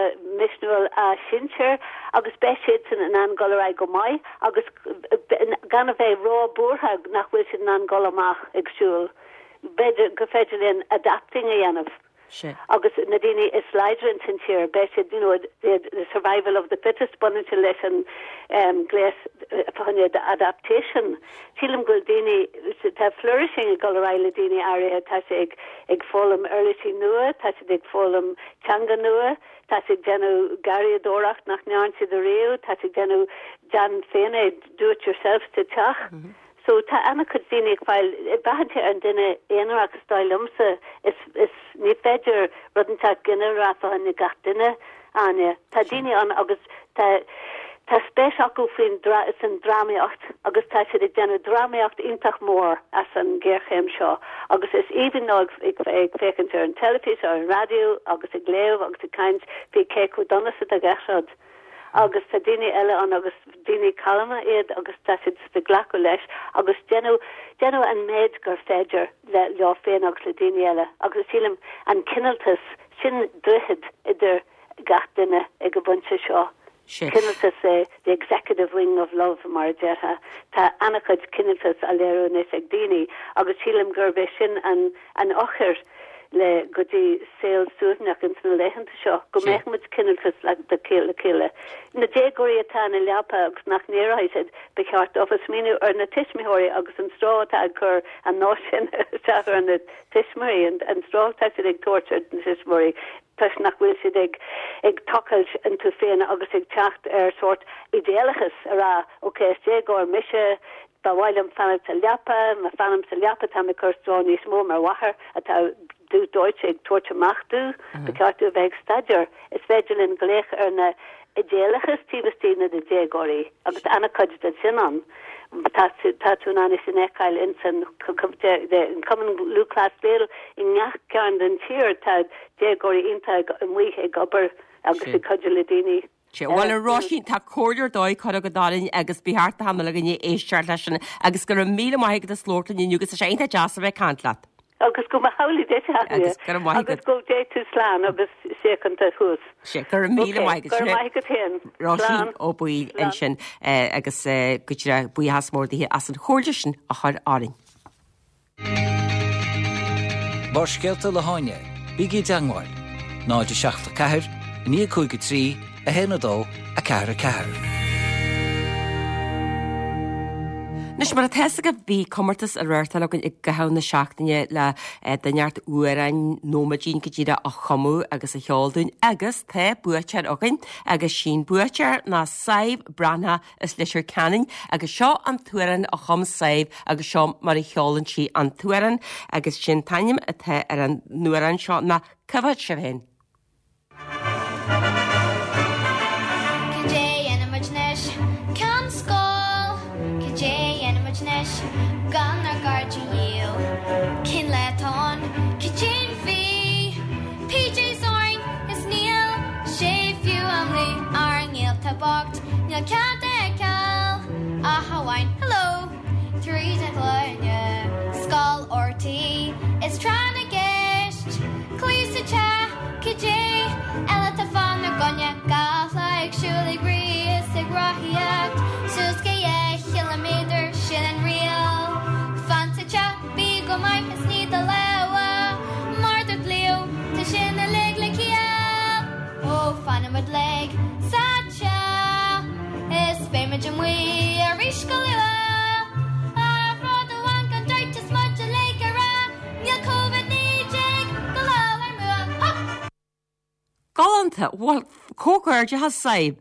misniúil a sinsir agus beidh siadsan in ann dul ar aghaidh go maith agus gan a bheith ró-buartha nach bhfuil siad in ann dul amach ag siúl. B'fhéidir gur féidir linn adapting a dhéanamh. Sea. Agus na daoine is láidre ins an tír, beidh siad, you know, the, the survival of the fittest, baineann sé leis an um, gléas fá choinne adaptation. Sílim go bhfuil daoine, tá flourishing ag dul ar aghaidh le daoine áirithe, tá siad ag, ag foghlaim uirlisí nua, tá siad ag foghlaim teanga nua, tá siad ag déanamh garraíodóireacht nach ndearn siad ariamh, tá siad ag déanamh déan féin é, do it yourself sa teach. Mm -hmm. So tá an-chuid daoine ag fáil, braitheann sé ar an duine aonarach is dóigh liomsa, is, is, ní féidir rud inteacht ginearálta a fháil ag gach duine, Áine. Tá daoine ann agus tá, tá spéis acu faoin dra, san drámaíocht agus tá siad ag déanamh drámaíocht iontach mór as an ghéarchéim seo agus is aoibhinn leo ag, ag, ag féachaint ar an teilifís, ar an raidió agus ag léamh agus ag caint faoi cé chomh dona is atá gach rud. Agus tá daoine eile ann agus daoine calma iad agus tá siad ag glacadh leis agus déanamh, déanamh an méid gur féidir le, leo féin agus le daoine eile. Agus sílim an cineáltas, sin droichead idir. gach duine ag an bpointe seo. Cineáltas é the executive wing of love mar a déarfá. Tá an-chuid cineáltas á léiriú anois ag daoine agus sílim gurb é sin an an eochair le go dtí saol suaimhneach ins na laethanta seo, go mbeadh muid cineáltas le le chéile. Na déagóirí atá ina leaba agus nach n-éireoidh siad, ba cheart dófa smaoineamh ar na tuismitheoirí agus an stró atá ag cur an nós sin isteach ar na tuismitheoirí, an stró atá siad ag tabhairt ar na tuismitheoirí toisc nach bhfuil siad ag ag tochailt iontu féin agus ag teacht ar sórt idéalachas, a rá, ok, is déagóir mise, ba mhaith liom fanacht sa leapa, má fanaim sa leapa táim ag cur stró níos mó mar mháthair atá dubh dóite ag tabhairt amach domh, ba cheart domh a bheith ag staidéar. Is féidir linn glaoch ar na idéalachas taobh istigh de na déagóirí agus tá an-chuid de sin ann. Tá tá tú in ann é sin a fheiceáil ins an Cumann Lúthchleas Gael i ngach cearn den tír tá déagóirí iontach amuigh ag obair agus ag cuidiú le daoine. Sea, bhuel a Róisín, tá comhairle ar dóigh curtha agat orainn agus ba cheart d'achan uile dhuine éisteacht leis sin agus go raibh míle maith agat as labhairt linn inniu agus tá sé iontach deas a bheith ag caint leat. Agus go mba hamhlaidh duit, a Áine. Agus go raibh maith agat. Agus go dté tú slán agus síochánta thuas. Sea, go raibh míle maith agat. Go raibh maith agat féin. Róisín Ó Baoill ansin agus go díreach buíochas mór dithe as an chomhairle sin a chur orainn. Barrscéalta le hÁine, bígí i dteangmháil, 0 7 4 9 5 3 1 2 4 4. Anois, mar atá fhios agaibh, bhí comórtas á reáchtáil againn i gcaitheamh na seachtaine le duine inteacht amhrán nóiméidín go díreach a chumadh agus a cheol dúinn agus tá buaiteoir againn agus sí'n buaiteoir ná Sadhbh Breathnach as Leitir Ceanainn agus seo an t-amhrán a chum Sadhbh agus seo mar a cheolann sí an t-amhrán agus sin t-ainm atá ar an amhrán seo ná Cá bhfad sibh féin? Cad é a dhéanfaidh muid anois gan scoil? Cad é a dhéanfaidh muid anois gan ár gcairde dhíl? Cén lá atá ann? Cad é an mhí? PJs orainn is níl sé fiú am luí ár ngaolta bocht níl cead a fheiceáil ach amháin hello tríd an ghloine Scoil RTÉ is tráth na gceist Cluichí sa teach cad é eile atá fánár gcoinne Gach lá ag siúl ag rith is ag rothaíocht Suas go 2 chiliméadar sin an riail Fan sa teach bí go maith is nigh do lámha Mar dúirt Leo tá sin uilig le ciall Ó fanfaidh muid uilig sa teach Is beidh muid amuigh arís go luath Ach rud amháin gan dabht is muid uilig a rá Níl Covid-19 go fóill ár mbua. Hup! Galánta! Bhuel, comhghairdeachas, Sadhbh!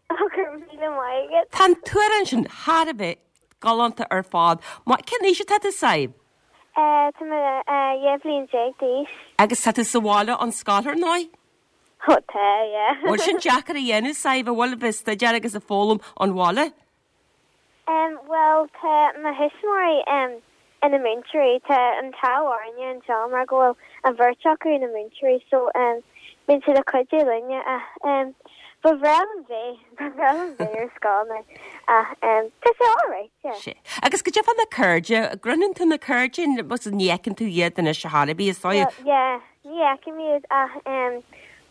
Go raibh míle maith agat. Tá an t-amhrán sin thar a bheith galánta ar fad. Cén aois atá tú, Sadhbh? Tá mé 12 bhliain d'aois. Agus tá tú sa bhaile ón scoil, ar ndóigh? Ó tá, yeah. Bhfuil sin deacair a dhéanamh, Sadhbh, an bhfuil, a bheith ag staidéar agus ag foghlaim ón bhaile? Em, bhuel, tá mo thuismitheoirí, em, ina múinteoirí. Tá an t-ádh orainne anseo mar go bhfuil an bheirt acu ina múinteoirí so, em, bíonn siad ag cuidiú linne ach, em, ba bhreá liom bheith, ba bhreá liom bheith ar scoil now ach, em, tá sé alright, yeah. Sea. Agus cad é fá na cairde, an gcroitheann tú na cairde, ní fheiceann tú iad anois ar chor ar bith, is dóigh? Well, yeah, ní fheicim iad ach, em,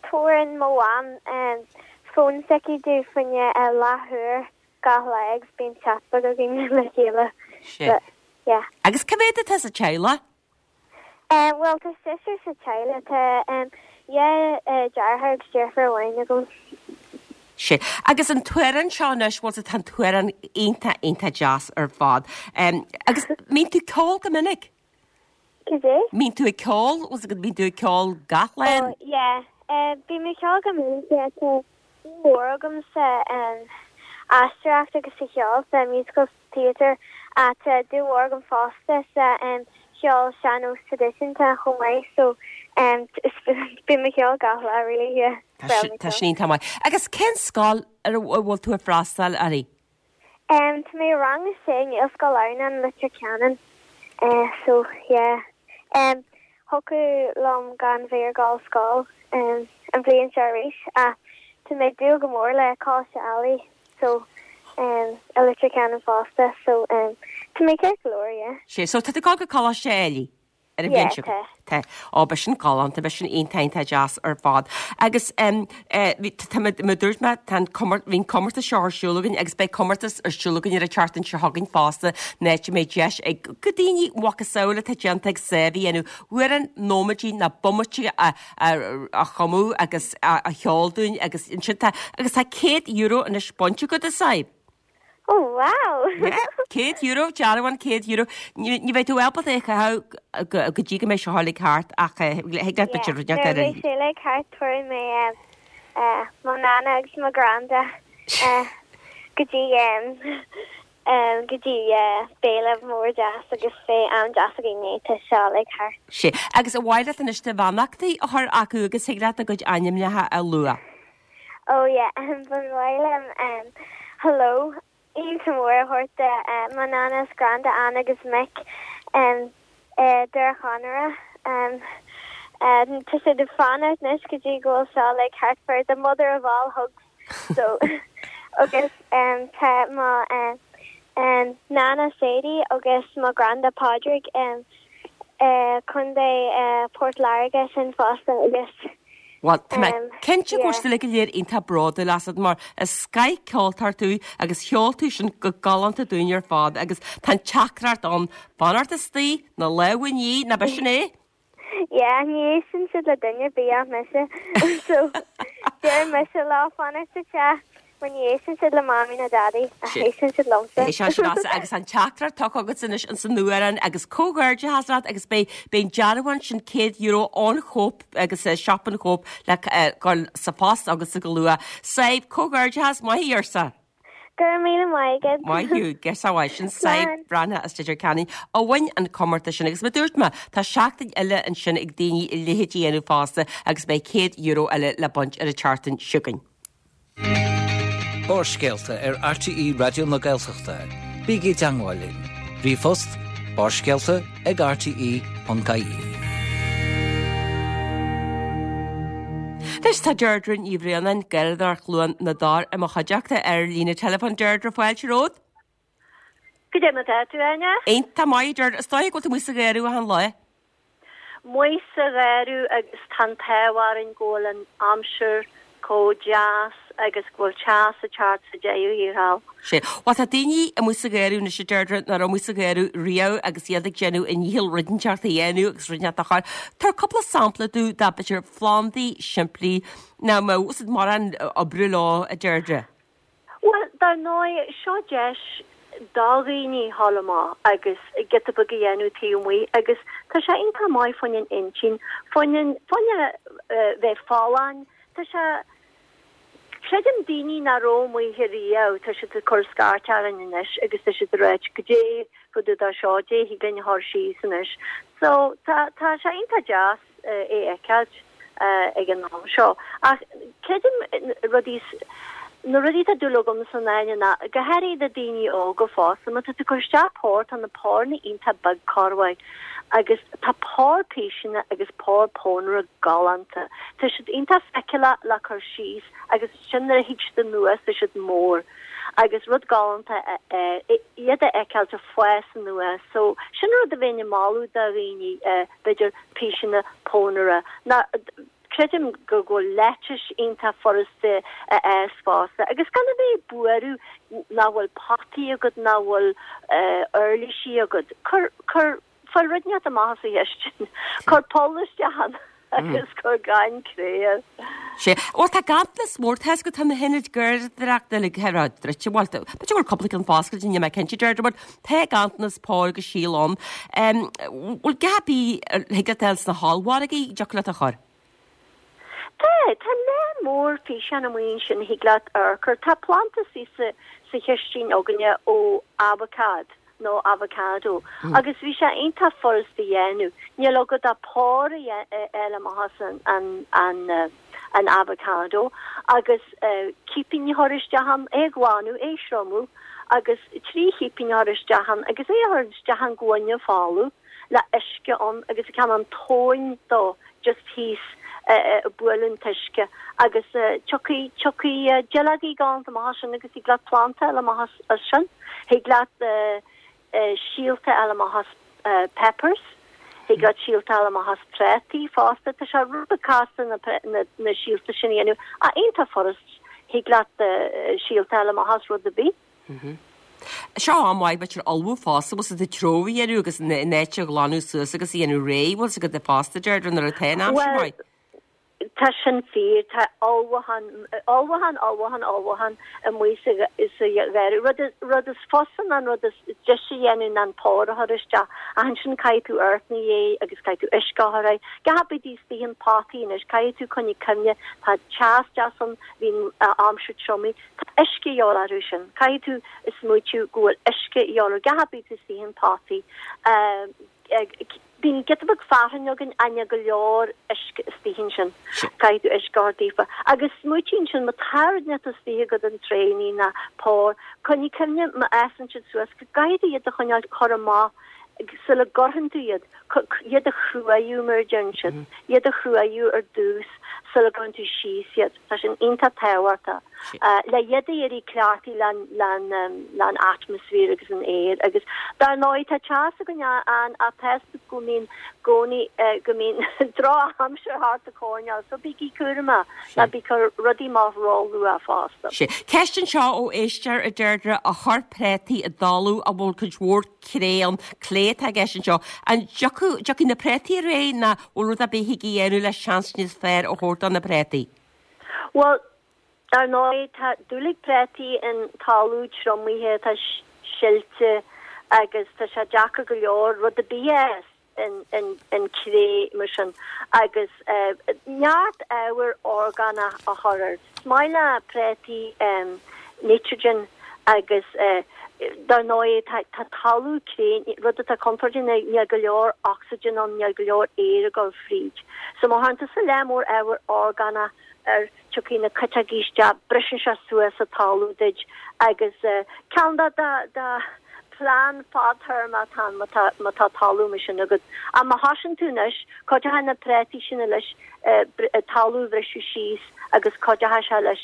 tabharann mo mham, em, fón s'aici domh fá choinne leathuair gach lá agus bíonn chat beag againn le chéile. Sea. But, yeah. Agus cá mhéad atá sa teaghlach? Eh, bhuel, tá seisear sa teaghlach. Tá em, dhá eh, deartháir agus deirfiúr amháin agam. Sea. Agus an t-amhrán seo anois, bhuel, tá an t-amhrán iontach, iontach deas ar fad. Em, agus mbíonn tú ag ceol go minic? Cad é? Mbíonn tú ag ceol, bhfuil 's agat, mbíonn tú ag ceol gach lá? Oh, yeah. Eh, bím ag ceol go minic, yeah. Tá dúil mhór agam sa em, aisteoireacht agus sa cheol, sa musical theatre, ach tá dúil mhór agam fosta sa em, cheol sean-nós traidisiúnta chomh maith, so em, bím ag ceol gach lá, really, yeah. Tá sin, tá sin iontach maith. Agus cén scoil ar a bhfuil tú ag freastal uirthi? Em, tá mé i rang a sé i nGaelscoil Adhamhnáin, Leitir Ceanainn. Eh, so, yeah. Em, thiocfadh liom gan bheith ag dul scoil, em, an bhliain seo arís, ach tá mé ag dúil go mór le Coláiste Ailigh, so, em, i Leitir Ceanainn fosta, so, em, tá mé ceart go leor, yeah. Sea, so tá tú ag dul go Coláiste Ailigh? Ar an bhliain seo. Yeah, tá. Tá. Ó, beidh sin galánta, beidh sin iontach, iontach deas ar fad. Agus em, eh, bhí, tá mé, mar a dúirt mé, tá an comór, bhí an comórtas seo ar siúl againn agus beidh comórtas ar siúl againn ar an tseachtain seo chugainn fosta, an áit a mbeidh deis ag go daoine macasamhail atá déanta ag Sadhbh a dhéanamh, amhrán nóiméidí ná bomaite a, a, a chumadh agus a, a sheol dúinn agus ansin tá, agus tá €100 anois bainte agat, a Sadhbh. Oh wow! Yeah, €100, dearbhán €100. Ní ní bheidh tú ábalta é a chaitheamh go go dtí go mbeidh seo uilig thart ach eh, thig leat b'fhéidir rud Nuair a ar bheidh sé uilig thart tabharfaidh mé eh, eh, mo nana agus mo granda eh, go dtí em, em, go dtí eh, béile mór deas agus beidh am deas againn nuair atá seo uilig thart. Sea, agus ar mhaith leat anois do bheannachtaí a chur acu agus thig leat a gcuid ainmneacha a lua. Oh yeah, ba mhaith liom hello iontach mór a thabhairt do mo nana is granda Ann agus Mick i Doire Chonaire. Tá siad ag fanacht anois go dtí go bhfuil seo uilig thart for the mother of all hugs so agus tá mo nana Sadie agus mo granda Pádraig i Contae Port Láirge sin fosta agus Bhuel, tá mé cinnte go bhfuil siad uilig go léir iontach bródúil asat mar is scoth-cheoltóir tú agus cheol tú sin go galánta dúinn ar fad agus tá an teachtaireacht ann, fanacht istigh, na lámha a ní, nach b'shin é? Yeah, ní éisteann siad le duine ar bith ach mise. So, deir mise leo fanacht sa teach mar ní éisteann siad le Mamaí ná Daidí ach éisteann siad liomsa. É seo sin as agus an teachtaireacht tugtha agat anois ins an amhrán agus comhghairdeachas leat agus beidh beidh an dearbhán sin €100 ón Chóip agus siopa an Chóip le dhul sa phost agatsa go luath. Sadhbh, comhghairdeachas, maith thú arsa. Go raibh míle maith agat. Maith thú, girseach mhaith sin Sadhbh Breathnach as Leitir Ceanainn a bhain an comórtas sin agus mar dúirt mé tá seachtain eile ansin ag daoine a leithéid a dhéanamh fosta agus beidh €100 eile le baint ar an tseachtain seo chugainn. Barrscéalta ar RTÉ Raidió na Gaeltachta. Bígí i dteangmháil linn. Ríomhphost, barrscéalta ag rte.ie. Anois tá Deirdre Ní Bhraonáin, Garradóir Chluain na dTor i mo chuideachta ar líne teileafóin. Deirdre, fáilte romhat. Goidé mar tá tú, Áine? Iontach maith, Deirdre. Is dóigh go bhfuil tú amuigh sa gharradh achan lá. Amuigh sa gharradh agus tá an t-ádh orainn go bhfuil an aimsir chomh deas agus go bhfuil teas ag teacht sa deireadh thiar thall. Sea. Bhuel tá daoine amuigh sa gharradh anois a Deirdre nach raibh amuigh sa gharradh riamh agus iad ag déanamh a ndícheall rud inteacht a dhéanamh agus rud inteacht a chur. Tabhair cúpla sampla domh de b'fhéidir phlandaí simplí nach mbeadh mórán oibre leo a Deirdre. Bhuel, dar ndóigh, seo deis do dhaoine dhul amach agus giota beag a dhéanamh taobh amuigh agus tá sé iontach maith fá choinne an intinn, fá choinne, fá choinne bheith folláin, tá sé, creidim daoine nach raibh amuigh riamh, tá siad ag cur scairt orainn anois agus tá siad ag ráit goidé fá dtaobh de seo, goidé thig linn a chur síos anois. So, tá, tá sé iontach deas. é a fheiceáilt ag an am seo. Ach creidim rudaí, na rudaí atá dúil agamsa Áine ná, go háirithe do daoine óga fosta, má tá tú ag cur isteach pár, tá na párna iontach beag corruair agus tá pár píseanna agus pár pónaire galánta. Tá siad iontach feiceálach le cur síos agus ansin nuair a thig siad anuas tá siad mór agus rud galánta é iad a fheiceáilt ag fás anuas. So sin rud a bheinn ag moladh do dhaoine. b'fhéidir píseanna pónaire. Ná, creidim go bhfuil lettuce iontach furasta a fhás fosta agus gan a bheith ag buaireamh nach bhfuil potaí agat, nach bhfuil uirlisí agat. Cuir, cuir, fáil rud inteacht amach as an chistin, cuir poll isteach ann agus cuir gaineamh cré air. Sea. Bhuel, tá ganntanas mór, tá 'fhios agat, tá na hionaid garraíodóireachta uilig ar fad druidte. Bhuel, b'fhéidir go bhfuil cúpla ceann foscailte, níl mé cinnte, Deirdre, but tá ganntanas póir agus síl ann. Bhfuil a dhath ar bith a thig leat a fháil sna hollmhargaí, dtiocfadh leat a chur? Tá, tá lear mór físeán amuigh ansin a thig leat a chur. Tá planda sa chistin againne ó abhacád. nó avocado, agus bhí sé iontach furasta a dhéanamh. Níl agat ach pár a fháil amach as an avocado agus cipín a chur isteach ann, é a ghlanadh, é a thriomú agus 3 chipín a chur isteach ann agus é a chur isteach i ngloine folamh le uisce ann agus ceann an tóin dó just thíos ag bualadh an t-uisce agus tiocfaidh tiocfaidh duilleogaí galánta amach as sin agus thig leat planda a fháil amach as sin. Thig leat síolta a fháil amach as peppers. Thig leat síolta a fháil amach as prátaí fosta. Tá sé rud beag casta na na síolta sin a dhéanamh ach iontach furast. Thig leat síolta a fháil amach as rud ar bith. Seo am maith b'fhéidir ullmhú fosta, bhfuil 's agat treabhadh a dhéanamh agus an áit a ghlanadh suas agus a dhéanamh réidh, bhfuil 's agat fosta Deirdre nuair atá an aimsir Bhuel, maith. Tá sin fíor. Tá ullmhúchán, ullmhúchán, ullmhúchán, ullmhúchán amuigh sa gharraí. Rud, rud is fusa ná an rud is deise a dhéanamh ná an pór a chur isteach. Ach ansin caithfidh tú amharc ina dhiaidh agus caithfidh tú uisce a chur air. Gach ar bith istigh in potaí anois, caithfidh tú coinnigh cuimhne, tá teas deas ann, bhíonn aimsir triomaigh, tá uisce a dhíobháil orthu sin. Caithfidh tú smaoitiú go bhfuil uisce a dhíobháil ar gach ar bith istigh in potaí. Bíonn giota beag fearthainn againn ach níl go leor uisce istigh ansin. Caithfidh tú uisce a thabhairt daofa. Agus smaoitigh ansin, má tá rud inteacht istigh agat in tréannaí ná pór, coinnigh cuimhne má fhásann siad suas go gcaithfidh tú iad a choinneáil chur amach sula gcuirfeann tú iad, iad a chruaidhiú mar a deireann siad, iad a chruaidhiú ar dtús sula gcuireann tú síos iad. Tá sin iontach tábhachtach le iad a éirí cleachtaithe leis an atmaisféar agus an aer agus dar ndóigh tá teas againn ann ach tá a fhios agat go mbíonn gcónaí go mbíonn drochaimsir thart an choirnéal so bígí cúramach ná bí ag cur rudaí amach ró-luath fosta. Ceist anseo ó éisteoir a Deirdre a chuir préataí i dtalamh a bhfuil cuid mhór cré ann, clé atá i gceist anseo. An dtiocfaidh na préataí réidh nó bhfuil rud ar bith thig a dhéanamh le seans níos fearr a thabhairt do na préataí? Bhuel, dar ndóigh, tá dúil ag préataí in talamh triomaithe atá silte agus tá sé deacair go leor rud ar bith a fhás in cré mar sin agus neart ábhar orgánach a chur air. Is maith le préataí nitrogen agus dar ndóigh tá talamh cré, rud atá contúirteach ná níl go leor ocsaigin ann, níl go leor aer ag dul fríd. So má chuireann tusa lear mór ábhar orgánach air, tiocfaidh na cuiteogaí isteach, briseann sé suas an talamh duit agus ceann de do phlean fadtéarma atá ann má tá má tá talamh mar sin agat. Ach má thosaíonn tú anois, cuideoidh na préataí sin leis talamh a bhriseadh síos agus cuideoidh sé leis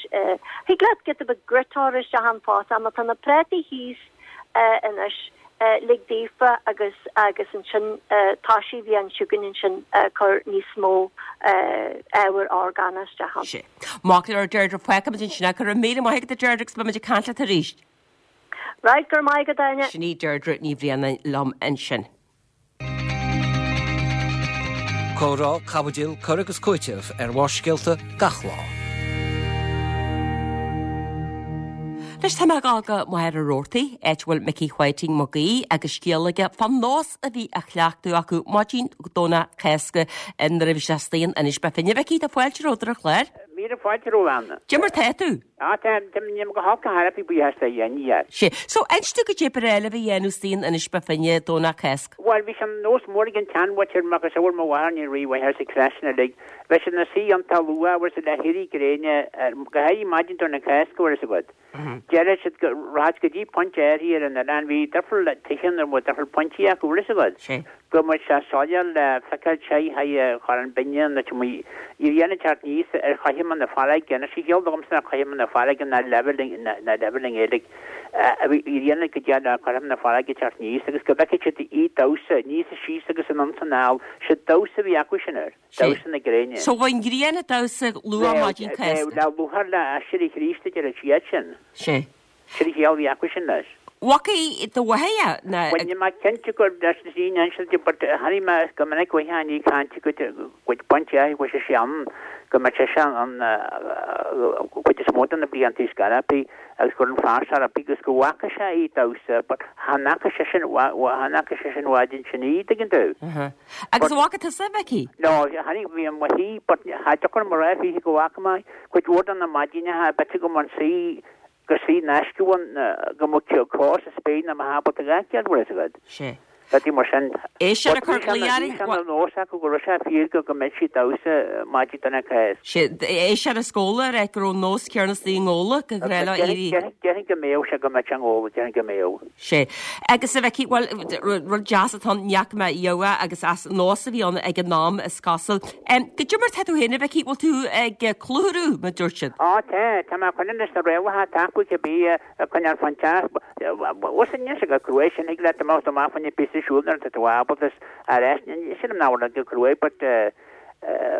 thig leat giota beag grit a chur isteach ann fosta ach má tá na préataí thíos anois, lig daofa agus agus ansin toisigh an bhliain seo chugainn ansin cur níos mó ábhar orgánach isteach ann. Sea. Maith go leor Deirdre, fágfaimid ansin é. Go raibh míle maith agat a Deirdre agus beimid ag caint leat arís. Right, go raibh maith agat Áine. Sin í Deirdre Ní Bhraonáin liom ansin. Comhrá, caibidil, cur agus cúiteamh ar Bharrscéalta gach lá. Anois tá mé ag dul go Machaire Rabhartaigh, áit a bhfuil Micí Whiting Mac Aoidh agus scéal aige fán nós a bhí á chleachtadh acu maidin Domhnach Cásca nuair a bhí sé istigh in Inis Bó Finne. A Mhicí, tá fáilte romhat ar an chlár. Míle fáilte romhat, a Áine. Cad é mar tá tú? Á, tá, nílim go holc ar chor ar bith, buíochas le Dia. Sea. So, inis domh goidé ba ghnách libh a dhéanamh istigh in Inis Bó Finne, Domhnach Cásca. Bhuel, bhí sé ina nós mór ag an tseanmhuintir, macasamhail mo mháthar, ní raibh mháthair sa chleas sin uilig. Bheadh siad ina suí iontach luath, bhfuil 's agat, le héirí gréine, go háirithe maidin Domhnach Cásca, bhfuil 'fhios agat. Déarfadh siad go rachadh go dtí pointe áirithe ar an oileán, bhí difriúil tithe ann a raibh difriúil pointí acu, bhfuil 'fhios agat. Sea. go mbeadh sé soiléir le feiceáil sé Chorn Binne nó tí bhí an teacht aníos ar chothroime na farraige anois is eol domsa nach cothroime na farraige ná leibhéal ná leibhéal i nGaeilge a bhí rian go dtí le cothroime na farraige teacht aníos agus go bhfeicfeadh siad í damhsa aníos is síos agus anonn is anall sé damhsa a bhí acu sin air damhsa na gréine. So bhí an ghrian ag damhsa luath maidin Cásca. Le lúcháir le aiséirí Chríost a deir siad sin. Sea. Sin an chiall a bhí acu sin leis. Bhfacaidh do mháthair é ná. Bhuel níl mé cinnte gur leis na daoine ansin di but chonaic mé go minic uaithe ag caint go gcuid baint air go bhfuil sé ann go mbeadh sé sin an cuid is mó de na blianta scarapí agus gur an fear scarapí agus go bhfaca sé í damhsa but chan fhaca sé sin chan fhaca sé sin bhfad ansin í tuigeann tú. Agus an bhfaca tusa a Mhicí? No, chonaic bhí an mhaith but cha dtiocfadh liom a rá fiche go bhfaca mé cuid mhór de na maidineacha b'fhéidir go mbeadh an saoi gur suí in aisce ann go mbeadh cos sa spéir ná mbeadh ábalta a fheiceáil, bhfuil fhios agat. Sea. Rudaí mar sin. É sin a chur Bhí sé ina nós acu go raibh sé fíor go go mbeadh sí ag damhsa maidin Domhnach Cásca. Sea. É sin ar scoil a rá go raibh nós céanna istigh i nGabhla go ghnách leo éirí. Déarfainn go mbeadh sé go mbeadh sé i nGabhla, déarfainn go mbeadh. Sea. Agus a Mhicí, bhuel, rud deas atá ann, ní fhaca mé riamh é agus as nós a bhí ann ag an am, is cosúil. Goidé mar tá tú féin, a Mhicí, bhfuil tú ag clutharú, mar dúirt siad? Á, tá, tá mé ag coinneáil leis na rialacha atá acu cibé, ag coinneáil fán teach. Bhuel, níl sé chomh crua sin, thig leat imeacht amach fá choinne píosa. ar siúl nuair atá tú ábalta is ar ais, sílim nach bhfuil go cruaidh but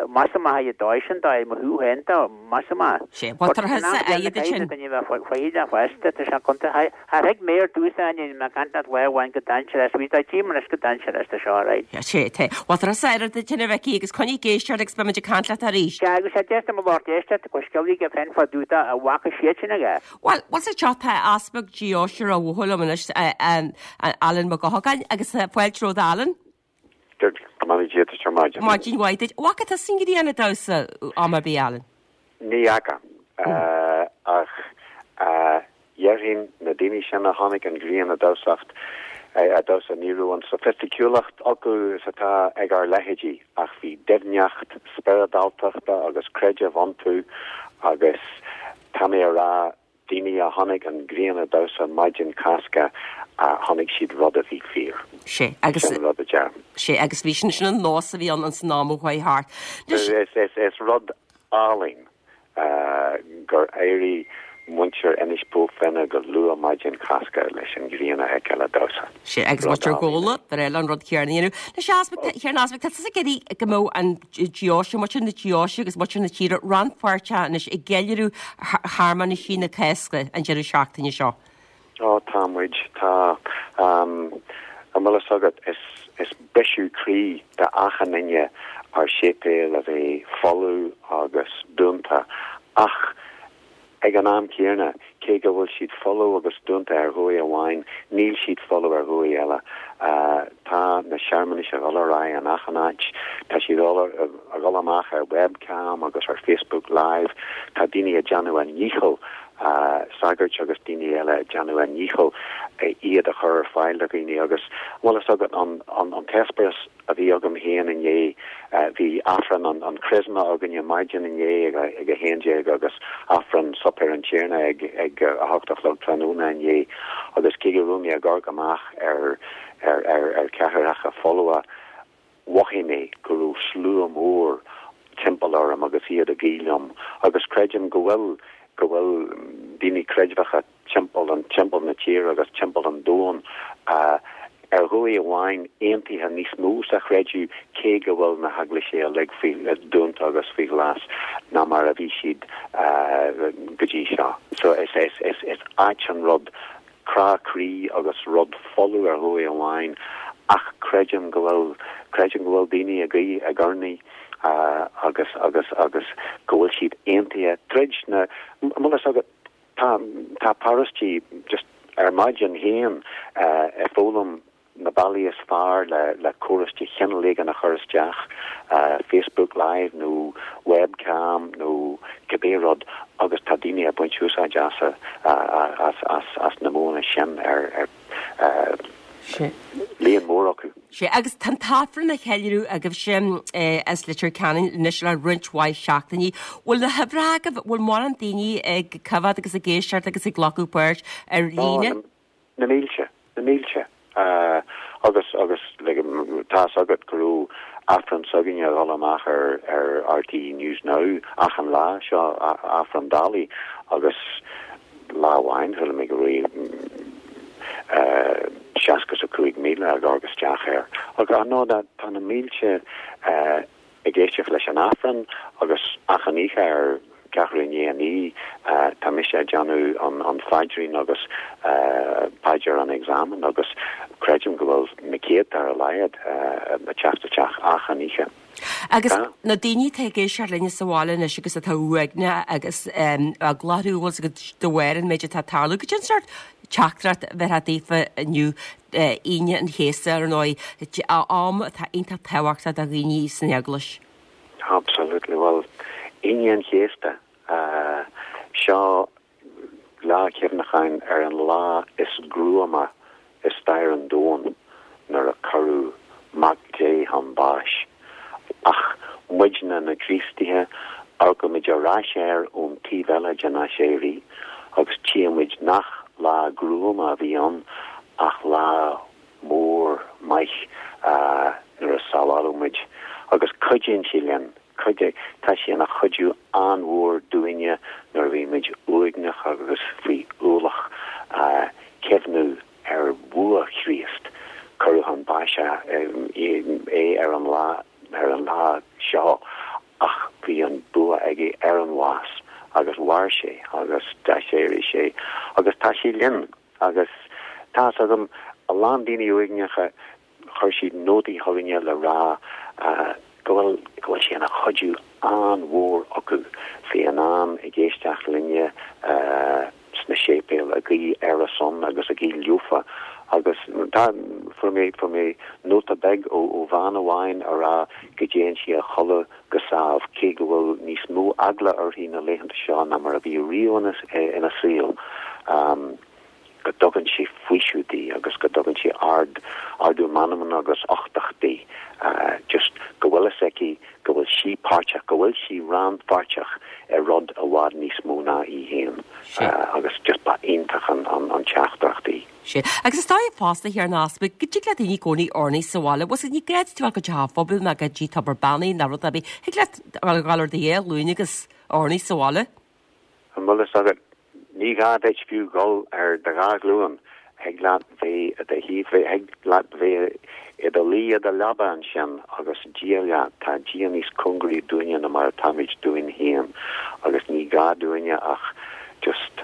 measaim maith é dóigh sin dóigh mo thaobh féin dó, measaim maith. Sé, bhuel tar thusa aghaidh duit sin. Duine bheith foighdeach fosta, tá sé contae, char thuig mé ar dtús é, níl mé ag caint leat lá amháin go dainséarach, bhí dá tím anois go dainséarach tá seo right. Sé, tá, bhuel tar thusa aire duit sin a Mhicí agus coinnigh ag éisteacht agus beidh muid ag caint leat arís. Sea, agus sé deis dom a lucht éisteachta go sciobthaí aige féin fá dtaobh de a bhfaca siad sin aige. Bhuel, bhuel sa teach tá Easpag Deoise Ráth Bhoth liom anois, Alan Mac Eochagáin, agus fáilte romhat Alan. Go mbeannaí Dia duit ar maidin. Maidin mhaith duit. Bhfaca tusa an ghrian ag damhsa am ar bith, Alan? Ní fhaca. Ach dhéarfainn na daoine sin a chonaic an ghrian ag damhsacht, ag damhsa, ní raibh an soifisticiúlacht acu is atá ag ár leithéidí, ach bhí doimhneacht spioradáltachta agus creidimh iontu agus tá mé a rá, Daoine a chonaic an ghrian ag damhsa maidin Cásca, chonaic siad rud a bhí fíor. Sé, agus. Sin an rud a deirim. Sé, agus bhí sin, sin an nós a bhí ann ins an am a chuaigh thart. Is rud álainn gur éirigh muintir Inis Bó Finne go luath maidin Cásca leis an ghrian a fheiceáil ag damhsa. Sé, agus muintir Ghabhla, ba bhreá leo an rud céanna a dhéanamh. Anois, a Easpaig, a Thiarna Easpaig, tá tusa ag iarraidh go mbeadh an deoise, muintir na deoise agus muintir na tíre rannpháirteach anois i gceiliúradh shearmanaisí na Cásca an deireadh seachtaine seo. Ó, tá muid, tá. An bhfuil fhios agat, is, is briseadh croí d'achan duine ár séipéil a bheith folamh agus dúnta ach Ag an am céanna, cé go bhfuil siad folamh agus dúnta ar dhóigh amháin, níl siad folamh ar dhóigh eile. Tá na searmanais ag dul ar aghaidh in achan áit. Tá siad ag dul amach ar webcam agus ar Facebook Live. Tá daoine ag déanamh a ndícheall, sagairt agus daoine eile ag déanamh a ndícheall iad a chur ar fáil do dhaoine agus, bhfuil fhios agat, an t-eispéireas a bhí agam féin inné. Bhí Aifreann an Chrisma againne maidin inné ag 11 agus Aifreann Suipéar an Tiarna ag 8 a chlog tráthnóna inné agus cé go raibh mé ag amharc amach ar ar cheathaireacha folmha, mhothaigh mé go raibh slua mór timpeall orm agus iad ag guí liom agus creidim go bhfuil go bhfuil daoine creidmheacha timpeall an timpeall na tíre agus timpeall an domhain ar dhóigh amháin aontaithe níos mó sa chreideamh cé go bhfuil na heaglaisí uilig faoi dúnta agus faoi ghlas ná mar a bhí siad go dtí seo. So is is is is ait an rud crá croí agus rud folamh ar dhóigh amháin ach creidim go bhfuil creidim go bhfuil daoine ag guí ag urnaí agus agus agus go bhfuil siad aontaithe tríd na an bhfuil fhios agat Tá, tá paróistí just ar maidin féin ag foghlaim na bealaí is fearr le, le córas de chineál éigin a chur isteach, Facebook Live nó webcam nó cibé rud agus tá daoine ag baint úsáid as, as, as, as na modhanna sin ar, ar. Líon mór acu. Sea, agus tá an tAifreann á cheiliúradh agaibhse as Leitir Ceanainn anois le roinnt mhaith seachtainí. Bhfuil na huimhreacha agaibh, bhfuil mórán daoine ag coimhéad agus ag éisteacht agus ag glacadh páirt ar líne? Na mílte, na mílte. Agus, agus, tá fhios agat go raibh Aifreann s'againne a dhul amach ar ar RTÉ News Now achan lá, seo Aifreann Dálaigh agus Lá amháin chuala mé go raibh 65,000 ag amharc isteach air. Ach ar ndóigh tá na mílte ag éisteacht leis an Aifreann agus achan oíche ar ceathrú i ndiaidh a 9 tá mise ag déanamh an phaidrín agus paidir an Examen agus creidim go bhfuil na céadta ar a laghad ag teacht isteach achan oíche. Agus na daoine atá ag éisteacht linne sa bhaile anois agus atá uaigneach agus eagla orthu bhfuil fhios agat de bharr an méid atá ag tarlú, cad é an sórt teachtaireacht a bheifeá daofa inniu, Aoine an Chéasta ar ndóigh, am atá iontach tábhachtach do dhaoine san Eaglais? Absolutely. Bhuel, Aoine an Chéasta, seo Lá cuimhneacháin ar an lá is gruama i stair an domhain nuair a cuireadh Mac Dé chun báis. Ach muidne na Críostaithe, amharcaimid ar ais air ón taobh eile den aiséirí agus tchímid nach lá gruama a bhí ann ach lá mór maith nuair a sábháladh muid. Agus cuidíonn sé linn Cuidigh, tá sé ina chuidiú an-mhór dúinne nuair a bhímid uaigneach agus faoi ualach, cuimhniú ar bhua Chríost. Cuireadh chun báis. an bhás agus mhair sé agus d'aiséirigh sé agus tá sé linn agus tá fhios agam a lán daoine uaigneacha chuir siad nótaí chugainne le rá go bhfuil go bhfuil sé ina chuidiú an-mhór acu bheith in ann ag éisteacht linne sna séipéil, ag guí ar a son agus ag guí leofa agus tá, fuair mé, fuair mé nóta beag ó, ó bhean amháin a rá go dtéann sí a chodladh go sámh cé go bhfuil níos mó eagla uirthi na laethanta seo ná mar a bhí riamh ina, ina saol. Go dtugann sé faoiseamh di agus go dtugann sé ard, ardú meanman agus uchtach di. Just go bhfuil fhios aici go bhfuil sí páirteach, go bhfuil sí rannpháirteach i rud i bhfad níos mó ná í féin. Agus just ba iontach an, an, an teachtaireacht í. Sea. Agus is dóigh fosta, a Thiarna Easpaig, go dtig le daoine i gcónaí urnaí sa bhaile. Bhfuil 's agat, ní gá duit a bheith go teach an phobail ná go dtí tobar beannaithe ná rud ar bith. Thig leat a dhul ar do dhá ghlúin agus urnaí sa bhaile. An bhfuil fhios agat, ní gá duit fiú dhul ar do dhá ghlúin, thig leat bheith i do shuí, thig leat bheith i do luí i do leaba ansin agus Dia leat. Tá Dia níos cóngaraí dúinne ná mar atáimid dúinn féin agus ní gá dúinne ach just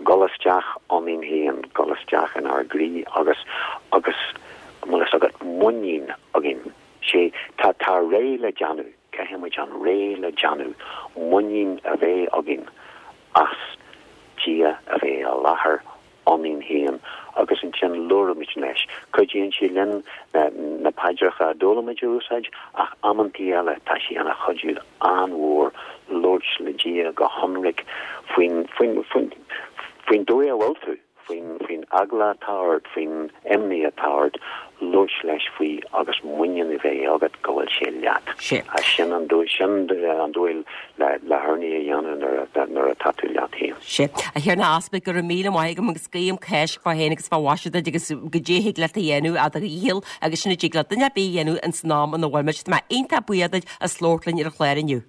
dhul isteach ionainn féin, dhul isteach inár gcroí agus, agus, an bhfuil fhios agat, muinín againn. Sé, tá, tá réidh le déanamh. Caithfidh muid an réidh le déanamh, muinín a bheith againn as Dia a bheith i láthair ionainn féin agus ansin labhraímid leis. Cuidíonn sé linn na paidreacha a d'fhoghlaim muid a úsáid ach amantaí eile tá sé ina chuidiú an-mhór labhairt le Dia go hionraic faoin, faoin, faoin, faoin dóigh a bhfuil tú. faoin faoin eagla atá ort, faoin imní atá ort, labhairt leis faoi agus muinín a bheith agat go bhfuil sé leat. Sin. Sin an dóigh, sin an dóigh le le hurnaí a dhéanamh nuair a nuair atá tú leat féin. Sea. A Thiarna Easpaig, go raibh míle maith agam agus guím Cáisc fá fhéin agus fá mhaise duit agus goidé a thig leat a dhéanamh a do dhícheall agus sin a dtig le duine ar bith a dhéanamh ins an am ina bhfuil muid. Tá mé iontach buíoch duit as labhairt linn ar an chlár inniu.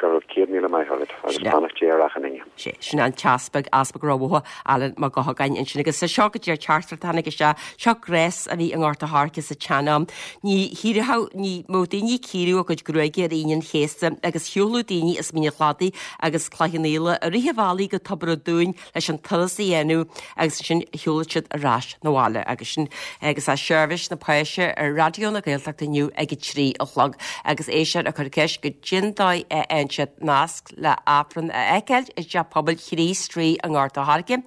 Go raibh 100,000 maith agat agus beannacht Dé ar achan duine. Sé sin an tEaspag, Easpag Ráth Bhoth, Alan Mac Eochagáin ansin agus seo go dtí an teachtaireacht a tháinig isteach, seo gnás a bhí i nGort a' Choirce sa tsean-am. Ní chíorfadh, ní mbeadh daoine ag cíoradh a gcuid gruaige ar Aoine an Chéasta agus shiúladh daoine as Mín an Chladaigh agus Cloich Cheann Fhaola i rith an bhealaigh go Tobar an Dúin leis an turas a dhéanamh agus ansin shiúlfadh siad ar ais 'na bhaile agus sin agus tá seirbhís na Páise ar Raidió na Gaeltachta inniu ag a 3 a chlog agus éisteoir ag cur ceist goidé an dóigh a fhaigheann siad nasc le Aifreann a fheiceáil i dTeach Pobail Chríost Rí i nGort a' Choirce.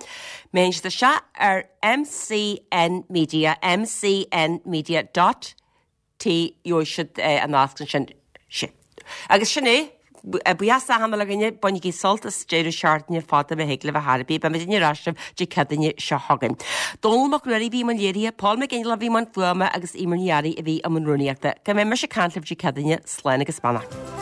Má théann siad isteach ar MCN Media, mcnmedia dot T, gheobhaidh siad an nasc ansin. Sin. Agus sin é. Buíochas achan uile dhuine, bainigí sult as deireadh seachtaine fada má thig libh ar chor ar bith. Beimid ar ais libh Dé Céadaoine seo chugainn. Dónall Mac Ruairí a bhí i mbun léirithe, Paul McGinley a bhí i mbun fuaime agus Eimear Ní Fhearraigh a bhí i mbun rúnaíochta. Go mbeidh mise ag caint libh Dé Céadaoine, slán agus beannacht.